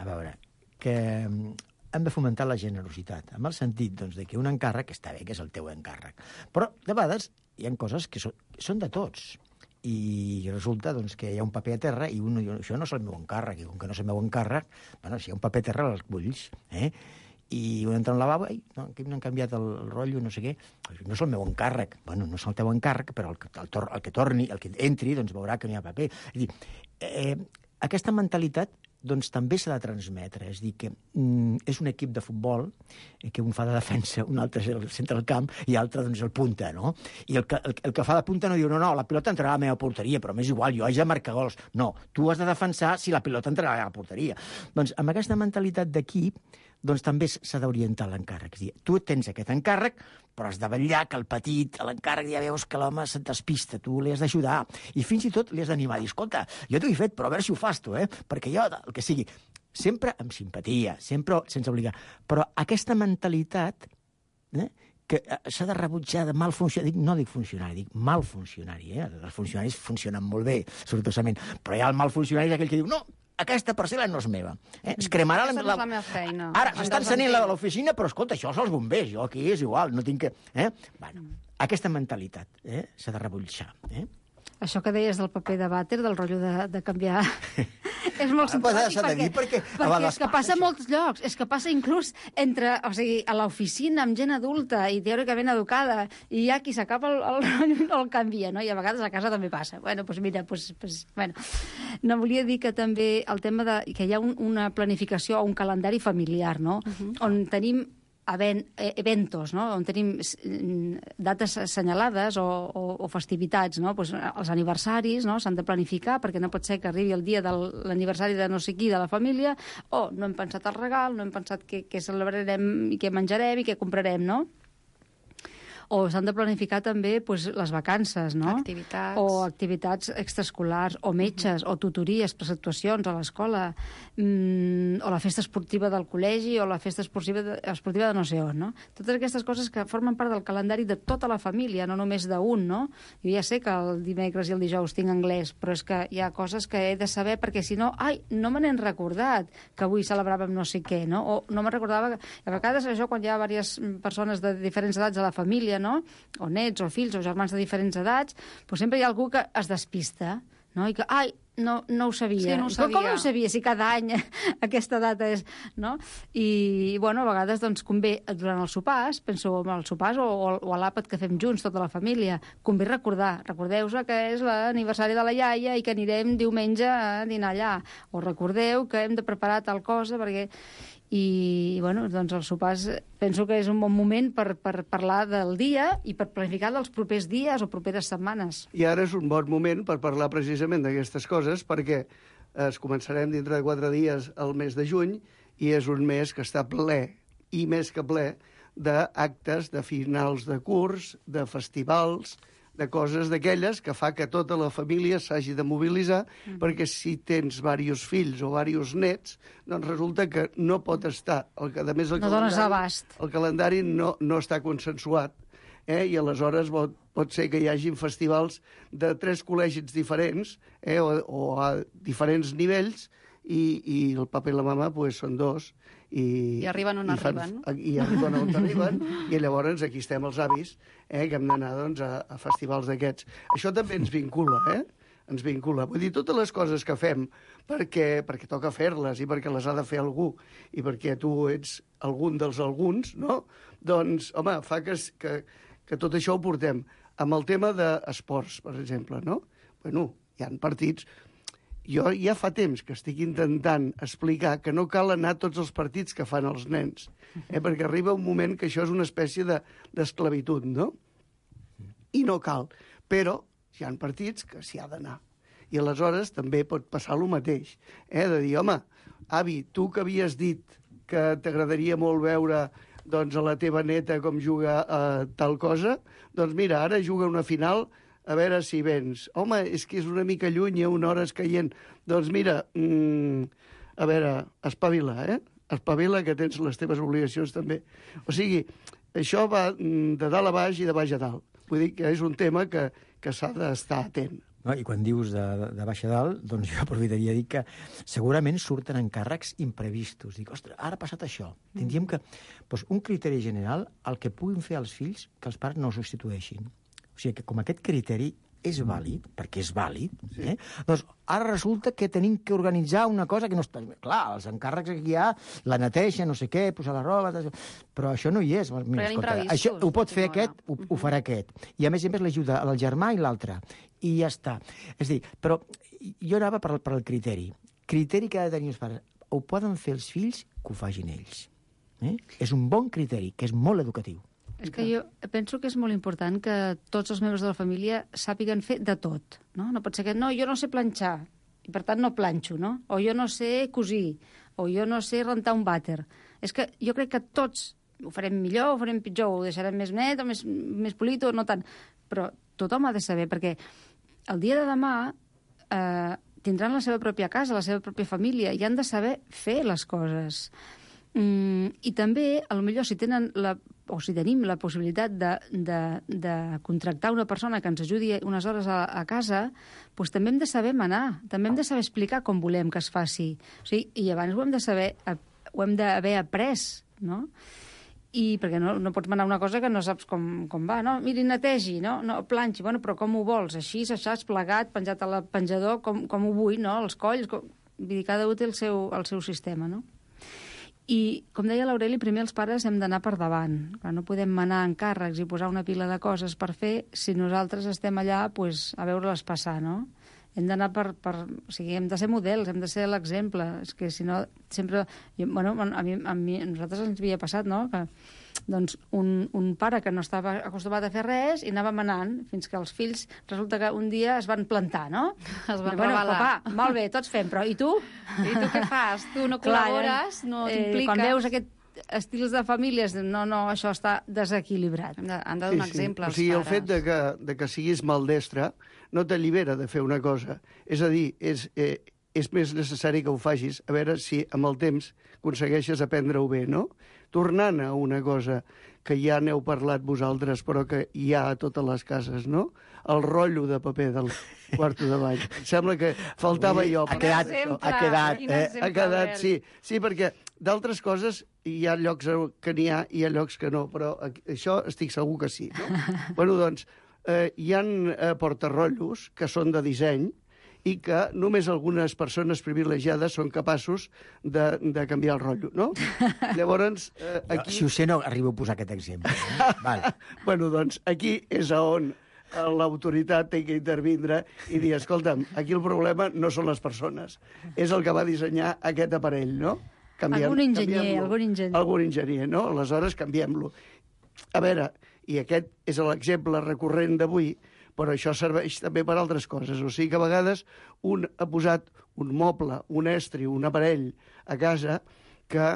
A veure, que hem de fomentar la generositat, amb el sentit doncs, de que un encàrrec està bé, que és el teu encàrrec. Però, de vegades, hi ha coses que són, són de tots. I resulta doncs, que hi ha un paper a terra i un diu, això no és el meu encàrrec, i com que no és el meu encàrrec, bueno, si hi ha un paper a terra, l'esculls, eh? I un entra al lavabo, i no, aquí m'han canviat el, el rotllo, no sé què, no és el meu encàrrec. Bueno, no és el teu encàrrec, però el, el, el, el que torni, el que entri, doncs veurà que no hi ha paper. És dir, eh, aquesta mentalitat doncs també s'ha de transmetre. És dir, que mm, és un equip de futbol eh, que un fa de defensa, un altre és el centre del camp i l'altre doncs el punta, no? I el que, el, el que fa de punta no diu, no, no, la pilota entrarà a la meva porteria, però m'és igual, jo haig de marcar gols. No, tu has de defensar si la pilota entrarà a la porteria. Doncs amb aquesta mentalitat d'equip doncs també s'ha d'orientar l'encàrrec. És dir, tu tens aquest encàrrec, però has de vetllar que el petit, l'encàrrec, ja veus que l'home se't despista, tu li has d'ajudar. I fins i tot li has d'animar. Dir, escolta, jo t'ho he fet, però a veure si ho fas tu, eh? Perquè jo, el que sigui, sempre amb simpatia, sempre sense obligar. Però aquesta mentalitat, eh, que s'ha de rebutjar de mal funcionari, dic, no dic funcionari, dic mal funcionari, eh? Els funcionaris funcionen molt bé, sortosament, però hi ha el mal funcionari aquell que diu, no, aquesta parcel·la no és meva. Eh? Es cremarà Aquesta la... no és la meva feina. Ara, estan encenent la, l'oficina, però escolta, això són els bombers, jo aquí és igual, no tinc que... Eh? Bueno, aquesta mentalitat eh? s'ha de rebutjar. Eh? Això que deies del paper de vàter, del rotllo de, de canviar... és molt simpàtic, simpàtic, perquè, perquè, perquè és que passa a molts llocs, és que passa inclús entre, o sigui, a l'oficina amb gent adulta i teòricament educada, i hi ha qui s'acaba el, el, el canvia, no? I a vegades a casa també passa. Bueno, doncs mira, pues, pues, bueno. No, volia dir que també el tema de que hi ha un, una planificació o un calendari familiar, no? Uh-huh. On tenim Event, eventos, no? On tenim dates assenyalades o, o, o festivitats, no? Pues els aniversaris, no? S'han de planificar perquè no pot ser que arribi el dia de l'aniversari de no sé qui de la família o no hem pensat el regal, no hem pensat què, què celebrarem i què menjarem i què comprarem, no? O s'han de planificar també pues, les vacances, no? Activitats. O activitats extraescolars, o metges, uh-huh. o tutories, preceptuacions a l'escola, mm, o la festa esportiva del col·legi, o la festa esportiva de, esportiva de no sé on, no? Totes aquestes coses que formen part del calendari de tota la família, no només d'un, no? Jo ja sé que el dimecres i el dijous tinc anglès, però és que hi ha coses que he de saber, perquè si no, ai, no me n'he recordat que avui celebràvem no sé què, no? O no me recordava que... A vegades això, quan hi ha diverses persones de diferents edats a la família, no? O nets, o fills, o germans de diferents edats, doncs sempre hi ha algú que es despista, no? I que, ai, no, no ho sabia. Sí, no ho sabia. Com no ho sabia, si cada any aquesta data és... No? I, bueno, a vegades, doncs, convé, durant els sopars, penso en els sopars o, o a l'àpat que fem junts, tota la família, convé recordar. Recordeu-vos que és l'aniversari de la iaia i que anirem diumenge a dinar allà. O recordeu que hem de preparar tal cosa, perquè... I, bueno, doncs els sopars penso que és un bon moment per, per parlar del dia i per planificar dels propers dies o properes setmanes. I ara és un bon moment per parlar precisament d'aquestes coses, perquè es començarem dintre de quatre dies el mes de juny i és un mes que està ple, i més que ple, d'actes de finals de curs, de festivals, de coses d'aquelles que fa que tota la família s'hagi de mobilitzar, mm. perquè si tens diversos fills o diversos nets, doncs resulta que no pot estar... El, a més, el no dones abast. El calendari no, no està consensuat eh? I aleshores pot, pot ser que hi hagin festivals de tres col·legis diferents, eh? o, o a diferents nivells, i, i el papa i la mama pues, són dos. I, I arriben on i fan, arriben. I arriben on arriben, i llavors aquí estem els avis, eh? que hem d'anar doncs, a, a festivals d'aquests. Això també ens vincula, eh? ens vincula. Vull dir, totes les coses que fem perquè, perquè toca fer-les i perquè les ha de fer algú i perquè tu ets algun dels alguns, no? Doncs, home, fa que, que, que tot això ho portem. Amb el tema d'esports, per exemple, no? Bueno, hi ha partits... Jo ja fa temps que estic intentant explicar que no cal anar a tots els partits que fan els nens, eh? perquè arriba un moment que això és una espècie d'esclavitud, de, no? I no cal. Però hi ha partits que s'hi ha d'anar. I aleshores també pot passar el mateix. Eh? De dir, home, avi, tu que havies dit que t'agradaria molt veure doncs, a la teva neta com juga a tal cosa, doncs mira, ara juga una final, a veure si vens. Home, és que és una mica lluny, hi ha una hora escaient. Doncs mira, mmm, a veure, espavila, eh? Espavila, que tens les teves obligacions també. O sigui, això va de dalt a baix i de baix a dalt. Vull dir que és un tema que, que s'ha d'estar atent. No, i quan dius de, de baix a dalt, doncs jo aprofitaria a dir que segurament surten encàrrecs imprevistos. Dic, ostres, ara ha passat això. Tindríem que... Doncs un criteri general, el que puguin fer els fills, que els pares no ho substitueixin. O sigui, que com aquest criteri és vàlid, perquè és vàlid, eh? Doncs ara resulta que tenim que organitzar una cosa que no està... Clar, els encàrrecs que hi ha, la neteja, no sé què, posar la roba... Però això no hi és. Mira, escolta, això ho pot fer aquest, ho, ho farà aquest. I a més a més l'ajuda al germà i l'altre. I ja està. És a dir, però jo anava per, per el criteri. Criteri que ha de tenir els pares. Ho poden fer els fills, que ho facin ells. Eh? És un bon criteri, que és molt educatiu. És que jo penso que és molt important que tots els membres de la família sàpiguen fer de tot, no? No pot ser que, no, jo no sé planxar, i per tant no planxo, no? O jo no sé cosir, o jo no sé rentar un vàter. És que jo crec que tots ho farem millor, ho farem pitjor, ho deixarem més net o més, més polit o no tant. Però tothom ha de saber, perquè el dia de demà eh, tindran la seva pròpia casa, la seva pròpia família, i han de saber fer les coses. Mm, I també, potser si tenen la, o si tenim la possibilitat de, de, de contractar una persona que ens ajudi unes hores a, a casa, doncs també hem de saber manar, també hem de saber explicar com volem que es faci. O sigui, i abans ho hem de saber, ho hem d'haver après, no? I perquè no, no pots manar una cosa que no saps com, com va, no? Miri, netegi, no? No, planxi, bueno, però com ho vols? Així, aixàs, plegat, penjat a la penjador, com, com ho vull, no? Els colls, com... Vull dir, cada un té el seu, el seu sistema, no? I, com deia l'Aureli, primer els pares hem d'anar per davant. Clar, no podem manar encàrrecs i posar una pila de coses per fer si nosaltres estem allà pues, a veure-les passar, no? Hem d'anar per, per... O sigui, hem de ser models, hem de ser l'exemple. És que, si no, sempre... Jo, bueno, a mi, a mi, a nosaltres ens havia passat, no?, que doncs, un, un pare que no estava acostumat a fer res i anava manant, fins que els fills resulta que un dia es van plantar, no? Es van bueno, revelar. Papà, molt bé, tots fem, però i tu? I tu què fas? Tu no col·labores, no t'impliques? Eh, quan veus aquest estils de famílies, no, no, això està desequilibrat. Han de, han de donar sí, sí. exemple o als sigui, pares. El fet de que, de que siguis maldestre no t'allibera de fer una cosa. És a dir, és, eh, és més necessari que ho facis, a veure si amb el temps aconsegueixes aprendre-ho bé, no? Tornant a una cosa que ja n'heu parlat vosaltres, però que hi ha a totes les cases, no? El rotllo de paper del quarto de bany. Sembla que faltava jo. Ha quedat, ha quedat, eh? Ha quedat, sí. Sí, perquè d'altres coses hi ha llocs que n'hi ha i hi ha llocs que no, però això estic segur que sí, no? Bueno, doncs, eh, hi ha eh, portarrotllos que són de disseny i que només algunes persones privilegiades són capaços de, de canviar el rotllo, no? Llavors, eh, aquí... Jo, si ho sé, no arribo a posar aquest exemple. Eh? Vale. Bueno, doncs, aquí és on l'autoritat té que intervindre i dir, escolta'm, aquí el problema no són les persones, és el que va dissenyar aquest aparell, no? Canviem, algun enginyer, algun enginyer. Algun enginyer, no? Aleshores, canviem-lo. A veure, i aquest és l'exemple recurrent d'avui, però això serveix també per altres coses. O sigui que a vegades un ha posat un moble, un estri, un aparell a casa que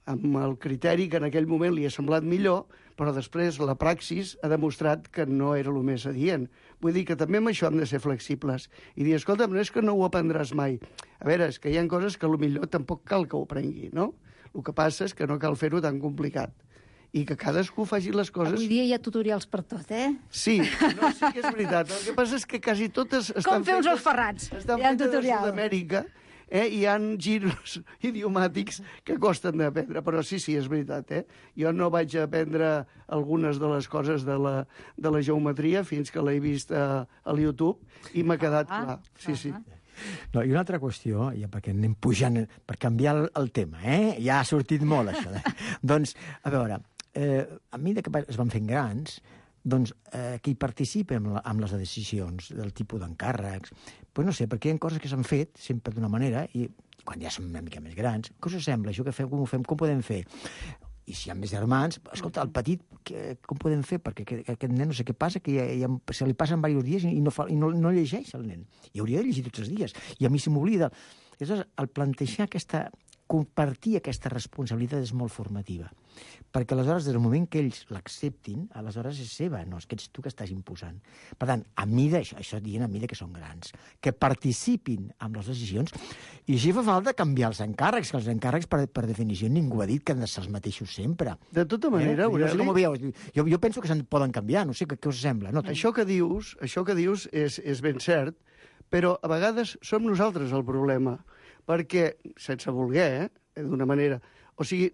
amb el criteri que en aquell moment li ha semblat millor, però després la praxis ha demostrat que no era el més adient. Vull dir que també amb això hem de ser flexibles i dir, escolta, no és que no ho aprendràs mai. A veure, és que hi ha coses que potser tampoc cal que ho aprengui, no? El que passa és que no cal fer-ho tan complicat. i que cadascú faci les coses... Avui dia hi ha tutorials per tot, eh? Sí, no, sí que és veritat. El que passa és que quasi totes estan Com fer uns fetes- ous ferrats. Estan Hi ha fetes a tutorial. Sud-amèrica, eh? I hi ha giros idiomàtics que costen d'aprendre, però sí, sí, és veritat, eh? Jo no vaig aprendre algunes de les coses de la, de la geometria fins que l'he vist a, a YouTube i m'ha quedat Ah, clar. Sí, sí. No, i una altra qüestió, ja perquè anem pujant, per canviar el, el tema, eh? Ja ha sortit molt, això. Eh? Doncs, a veure, eh, a mesura que es van fent grans, doncs, eh, qui participa amb, la, amb les decisions del tipus d'encàrrecs, pues no sé, perquè hi ha coses que s'han fet sempre d'una manera i quan ja som una mica més grans, què us sembla? Això que fem, com ho fem, com podem fer? I si hi ha més germans, escolta, el petit, que, com podem fer? Perquè aquest, aquest nen no sé què passa, que ja, ja, se li passen diversos dies i, no, fa, i no, no llegeix el nen. I hauria de llegir tots els dies. I a mi se m'oblida. Aleshores, el plantejar aquesta, compartir aquesta responsabilitat és molt formativa. Perquè aleshores, des del moment que ells l'acceptin, aleshores és seva, no és que ets tu que estàs imposant. Per tant, a mida, això, això dient a mida que són grans, que participin amb les decisions, i així fa falta canviar els encàrrecs, que els encàrrecs, per, per definició, ningú ha dit que han de ser els mateixos sempre. De tota manera, eh? Jo, no sé Aureli, com ho veieu. Jo, jo penso que se'n poden canviar, no sé què, què us sembla. No, això que dius, això que dius és, és ben cert, però a vegades som nosaltres el problema, perquè, sense voler, eh, d'una manera, o sigui,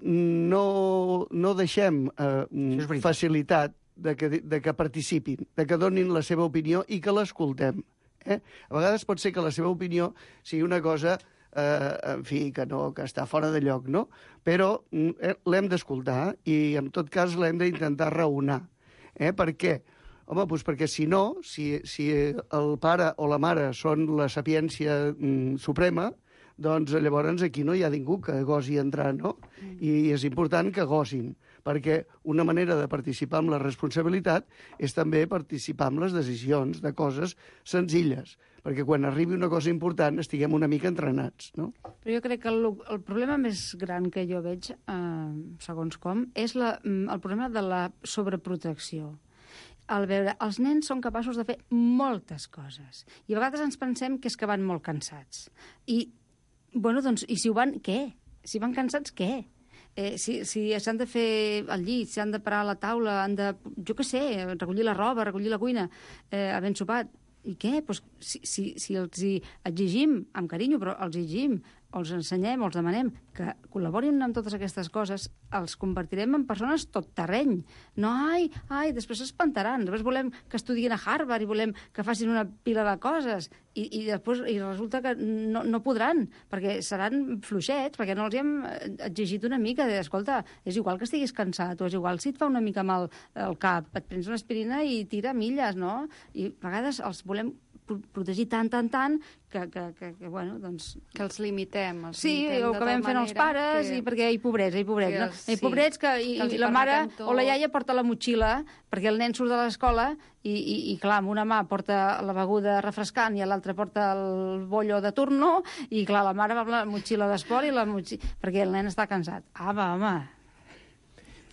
no, no deixem eh, facilitat de que, de que participin, de que donin la seva opinió i que l'escoltem. Eh? A vegades pot ser que la seva opinió sigui una cosa, eh, en fi, que, no, que està fora de lloc, no? Però eh, l'hem d'escoltar i, en tot cas, l'hem d'intentar raonar. Eh? Per què? Home, doncs perquè si no, si, si el pare o la mare són la sapiència mm, suprema, doncs llavors aquí no hi ha ningú que gosi entrar, no? I és important que gosin, perquè una manera de participar amb la responsabilitat és també participar amb les decisions de coses senzilles, perquè quan arribi una cosa important estiguem una mica entrenats, no? Però jo crec que el, el problema més gran que jo veig, eh, segons com, és la, el problema de la sobreprotecció. Al veure, els nens són capaços de fer moltes coses. I a vegades ens pensem que és que van molt cansats. I, bueno, doncs, i si ho van, què? Si van cansats, què? Eh, si si s'han de fer el llit, si han de parar a la taula, han de, jo què sé, recollir la roba, recollir la cuina, eh, havent sopat. I què? Pues, si, si, si els hi exigim, amb carinyo, però els exigim, o els ensenyem, o els demanem que col·laborin amb totes aquestes coses, els convertirem en persones tot terreny. No, ai, ai, després s'espantaran. Després volem que estudien a Harvard i volem que facin una pila de coses i, i després i resulta que no, no podran, perquè seran fluixets, perquè no els hem exigit una mica de, escolta, és igual que estiguis cansat, o és igual si et fa una mica mal el cap, et prens una aspirina i tira milles, no? I a vegades els volem protegir tant, tant, tant, que, que, que, que bueno, doncs... Que els limitem. Els sí, limitem ho acabem fent els pares, que... i perquè hi pobrets, hi pobrets. No? Sí, hi pobrets que, i, que i la mare o la iaia porta la motxilla perquè el nen surt de l'escola i, i, i, clar, amb una mà porta la beguda refrescant i l'altra porta el bollo de turno i, clar, la mare va amb la motxilla d'esport i la motxilla... perquè el nen està cansat. Ah, va, home...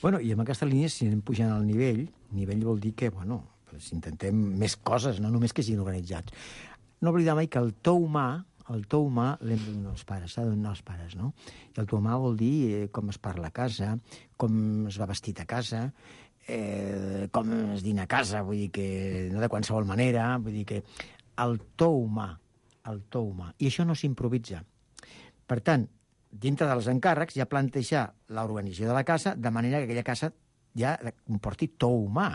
Bueno, i amb aquesta línia, si anem pujant al nivell, nivell vol dir que, bueno, pues intentem més coses, no només que siguin organitzats. No oblidar mai que el to humà, el to humà l'hem de donar als pares, s'ha de donar als pares, no? I el to humà vol dir eh, com es parla a casa, com es va vestit a casa, eh, com es dina a casa, vull dir que no de qualsevol manera, vull dir que el to humà, el to humà. I això no s'improvisa. Per tant, dintre dels encàrrecs, ja plantejar l'organització de la casa de manera que aquella casa ja comporti to humà.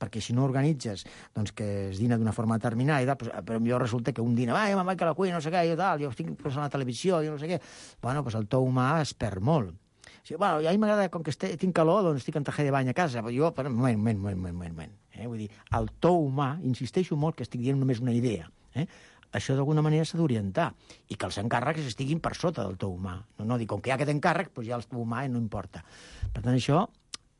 Perquè si no organitzes doncs, que es dina d'una forma determinada, i tal, doncs, però millor resulta que un dina, ai, mamà, que la cuina, no sé què, jo, tal, jo estic posant a la televisió, jo no sé què. Bueno, doncs el to humà es perd molt. O sigui, bueno, a mi m'agrada, com que este, tinc calor, doncs estic en traje de bany a casa, però jo, però, moment, moment, moment, moment, moment. Eh? Vull dir, el to humà, insisteixo molt que estic dient només una idea, eh? Això d'alguna manera s'ha d'orientar, i que els encàrrecs estiguin per sota del to humà. No, no, dic, com que hi ha aquest encàrrec, doncs ja el to humà no importa. Per tant, això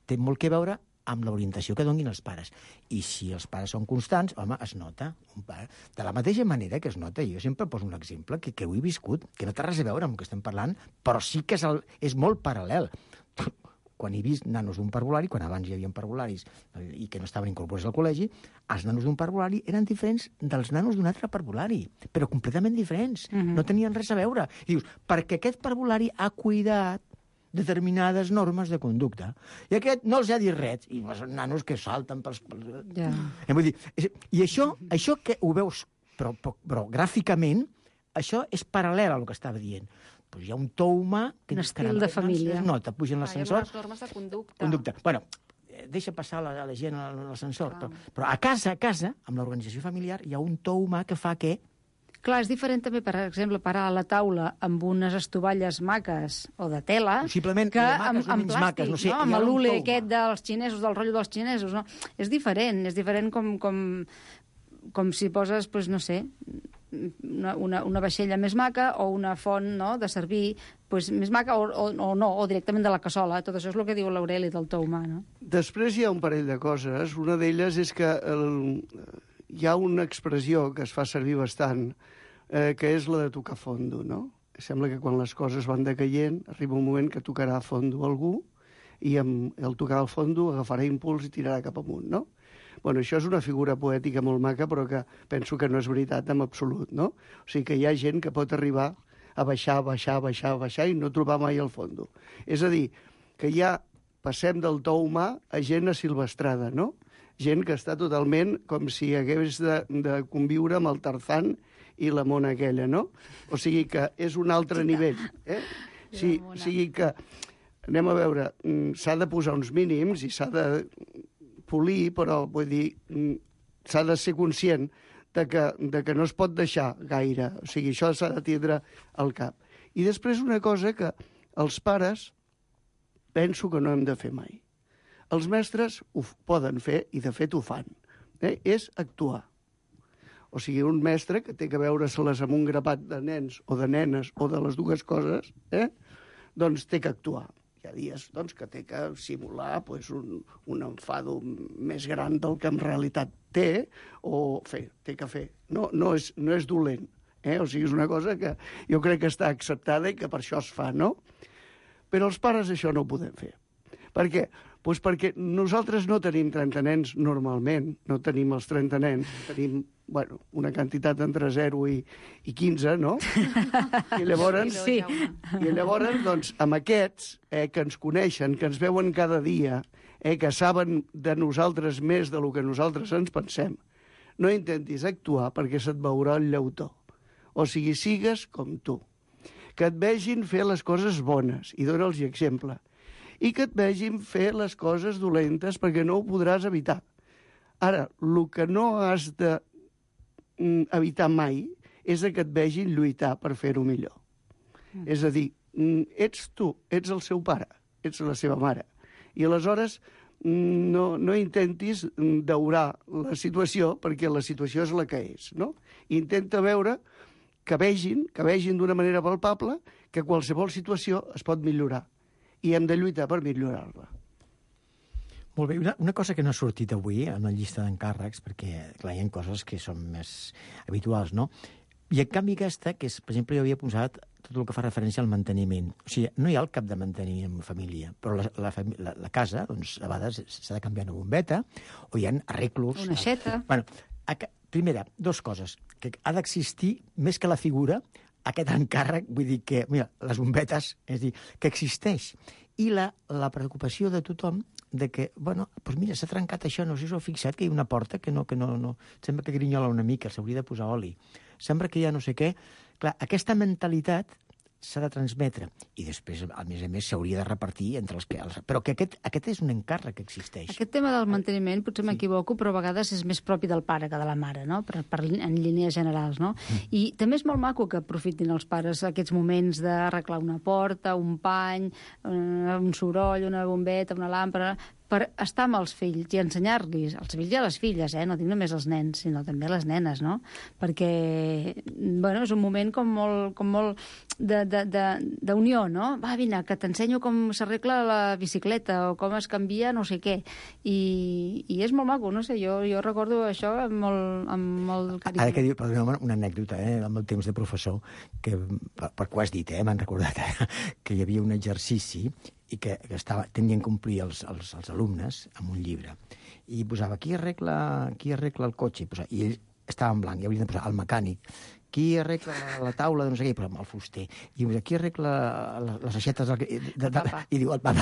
té molt que veure amb l'orientació que donin els pares. I si els pares són constants, home, es nota. Un pare. De la mateixa manera que es nota, jo sempre poso un exemple que, que ho he viscut, que no té res a veure amb el que estem parlant, però sí que és, el, és molt paral·lel. Quan he vist nanos d'un parvulari, quan abans hi havia parvularis i que no estaven incorporats al col·legi, els nanos d'un parvulari eren diferents dels nanos d'un altre parvulari, però completament diferents. Uh-huh. No tenien res a veure. I dius, perquè aquest parvulari ha cuidat determinades normes de conducta. I aquest no els ha dit res. I són nanos que salten pels... pels... Ja. Eh, vull dir, i això, això que ho veus, però, però, però gràficament, això és paral·lel al que estava dient. Pues hi ha un to humà... Que, un estil de família. No, te pugen l'ascensor... Ah, hi ha unes normes de conducta. Conducta. Bueno, deixa passar la, la gent a l'ascensor. Però, però a casa, a casa, amb l'organització familiar, hi ha un to humà que fa que... Clar, és diferent també, per exemple, parar a la taula amb unes estovalles maques o de tela... Possiblement, que maques amb, o amb menys plàstic, maques, no sé, no? hi ha Amb un l'ule to aquest humà. dels xinesos, del rotllo dels xinesos, no? És diferent, és diferent com, com, com si poses, pues, no sé, una, una, una vaixella més maca o una font, no?, de servir pues, més maca o, o, o no, o directament de la cassola. Tot això és el que diu l'Aureli del to humà, no? Després hi ha un parell de coses. Una d'elles és que el, hi ha una expressió que es fa servir bastant, eh, que és la de tocar fondo, no? Sembla que quan les coses van decaient arriba un moment que tocarà a fondo algú i amb el tocar al fondo agafarà impuls i tirarà cap amunt, no? Bueno, això és una figura poètica molt maca, però que penso que no és veritat en absolut, no? O sigui que hi ha gent que pot arribar a baixar, baixar, baixar, baixar i no trobar mai el fondo. És a dir, que ja passem del to humà a gent asilvestrada, no? Gent que està totalment com si hagués de, de conviure amb el Tarzan i la mona aquella, no? O sigui que és un altre nivell. Eh? Sí, o sigui que, anem a veure, s'ha de posar uns mínims i s'ha de polir, però vull dir, s'ha de ser conscient de que, de que no es pot deixar gaire. O sigui, això s'ha de tindre al cap. I després una cosa que els pares penso que no hem de fer mai. Els mestres ho poden fer i de fet ho fan. Eh? És actuar. O sigui, un mestre que té que veure-se-les amb un grapat de nens o de nenes o de les dues coses, eh? doncs té que actuar. Hi ha dies doncs, que té que simular pues, un, un enfado més gran del que en realitat té, o fer, té que fer. No, no, és, no és dolent. Eh? O sigui, és una cosa que jo crec que està acceptada i que per això es fa, no? Però els pares això no ho podem fer. Per què? Pues perquè nosaltres no tenim trenta nens normalment, no tenim els trenta nens, tenim bueno, una quantitat entre zero i, i quinze, no? I llavors, sí. I llavors doncs, amb aquests eh, que ens coneixen, que ens veuen cada dia, eh, que saben de nosaltres més del que nosaltres ens pensem, no intentis actuar perquè se't veurà el llautó. O sigui, sigues com tu. Que et vegin fer les coses bones, i dona'ls exemple, i que et vegin fer les coses dolentes perquè no ho podràs evitar. Ara, el que no has de mm, evitar mai és que et vegin lluitar per fer-ho millor. Mm. És a dir, mm, ets tu, ets el seu pare, ets la seva mare. I aleshores mm, no, no intentis daurar la situació perquè la situació és la que és, no? Intenta veure que vegin, que vegin d'una manera palpable que qualsevol situació es pot millorar. I hem de lluitar per millorar-la. Molt bé, una, una cosa que no ha sortit avui en la llista d'encàrrecs, perquè clar, hi ha coses que són més habituals, no? I en canvi aquesta, que és, per exemple, jo havia posat tot el que fa referència al manteniment. O sigui, no hi ha el cap de manteniment en família, però la, la, la, la casa, doncs, a vegades s'ha de canviar una bombeta, o hi ha arreglos... Una aixeta. Bueno, a, primera, dos coses. Que ha d'existir, més que la figura, aquest encàrrec, vull dir que, mira, les bombetes, és dir, que existeix. I la, la preocupació de tothom de que, bueno, doncs mira, s'ha trencat això, no sé si us heu fixat que hi ha una porta que no, que no, no, sembla que grinyola una mica, s'hauria de posar oli. Sembla que hi ha no sé què. Clar, aquesta mentalitat s'ha de transmetre. I després, a més a més, s'hauria de repartir entre els que... Els... Però que aquest, aquest és un encàrrec que existeix. Aquest tema del manteniment, potser m'equivoco, però a vegades és més propi del pare que de la mare, no? Per, per, en línies generals, no? Mm. I també és molt maco que aprofitin els pares aquests moments d'arreglar una porta, un pany, un soroll, una bombeta, una làmpara, per estar amb els fills i ensenyar-los, als fills i a les filles, eh? No dic només als nens, sinó també a les nenes, no? Perquè, bueno, és un moment com molt, com molt d'unió, no? Va, vine, que t'ensenyo com s'arregla la bicicleta o com es canvia no sé què. I, i és molt maco, no sé, jo, jo recordo això amb molt, amb molt carinyo. Ara que diu, perdoneu, una anècdota, eh, amb el temps de professor, que, per, per què ho has dit, eh, m'han recordat, eh, que hi havia un exercici i que, que estava, tenien a complir els, els, els alumnes amb un llibre. I posava, qui arregla, qui arregla el cotxe? I, posava, i ell estava en blanc, i haurien de posar el mecànic. qui arregla la taula de no sé què, però amb el fuster. I qui arregla les aixetes del... De, de, de, i diu el papa.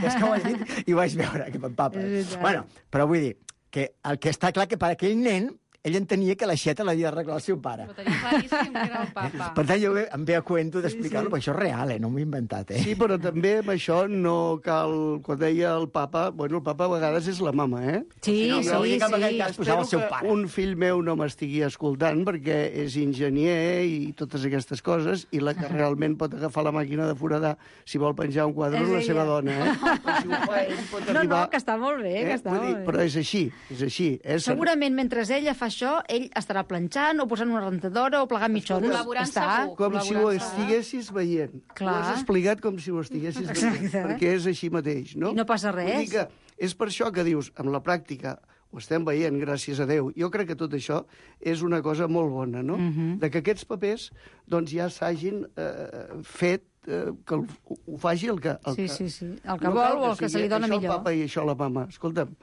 És que ho has dit i ho vaig veure, que el papa. Bueno, però vull dir que el que està clar que per aquell nen ell entenia que l'aixeta l'havia d'arreglar el seu pare. Però tenia claríssim que era el papa. Per tant, jo em ve a cuento d'explicar-lo, sí, sí. Però això és real, eh? No m'ho he inventat, eh? Sí, però també amb això no cal... Quan deia el papa... Bueno, el papa a vegades és la mama, eh? Sí, no, sí, sí. sí. Que posava el seu pare. Un fill meu no m'estigui escoltant perquè és enginyer i totes aquestes coses, i la que realment pot agafar la màquina de foradar si vol penjar un quadre és la seva dona, eh? Però si ho fa ell pot arribar... No, no, que està molt bé, eh? que està Vull dir, molt bé. però és així, és així. És... Segurament, mentre ella fa això, ell estarà planxant o posant una rentadora o plegant mitjons. Col·laborant segur. Com si ho estiguessis veient. Clar. Ho has explicat com si ho estiguessis veient. Exacte. Perquè és així mateix, no? I no passa res. Vull dir que és per això que dius, amb la pràctica, ho estem veient, gràcies a Déu. Jo crec que tot això és una cosa molt bona, no? Mhm. De que aquests papers doncs, ja s'hagin eh, fet, eh, que el, ho faci el que... El Sí, que, sí, sí. El que no vol cal o el que se li sigui dona això millor. el papa i això la mama. Escolta'm,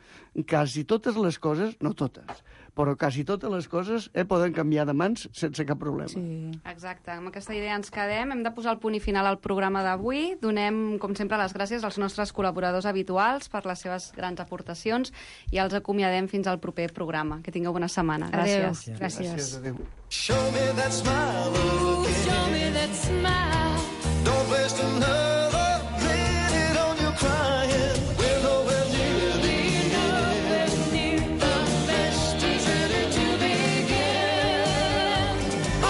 quasi totes les coses, no totes, però quasi totes les coses eh, poden canviar de mans sense cap problema. Sí. Exacte, amb aquesta idea ens quedem. Hem de posar el punt i final al programa d'avui. Donem, com sempre, les gràcies als nostres col·laboradors habituals per les seves grans aportacions i els acomiadem fins al proper programa. Que tingueu bona setmana. Gràcies. Adéu. Gràcies. Gràcies, adéu. Show me that smile again. Show me that smile. Don't waste another minute on your crying. We're nowhere near the end. The best is ready to begin. Oh,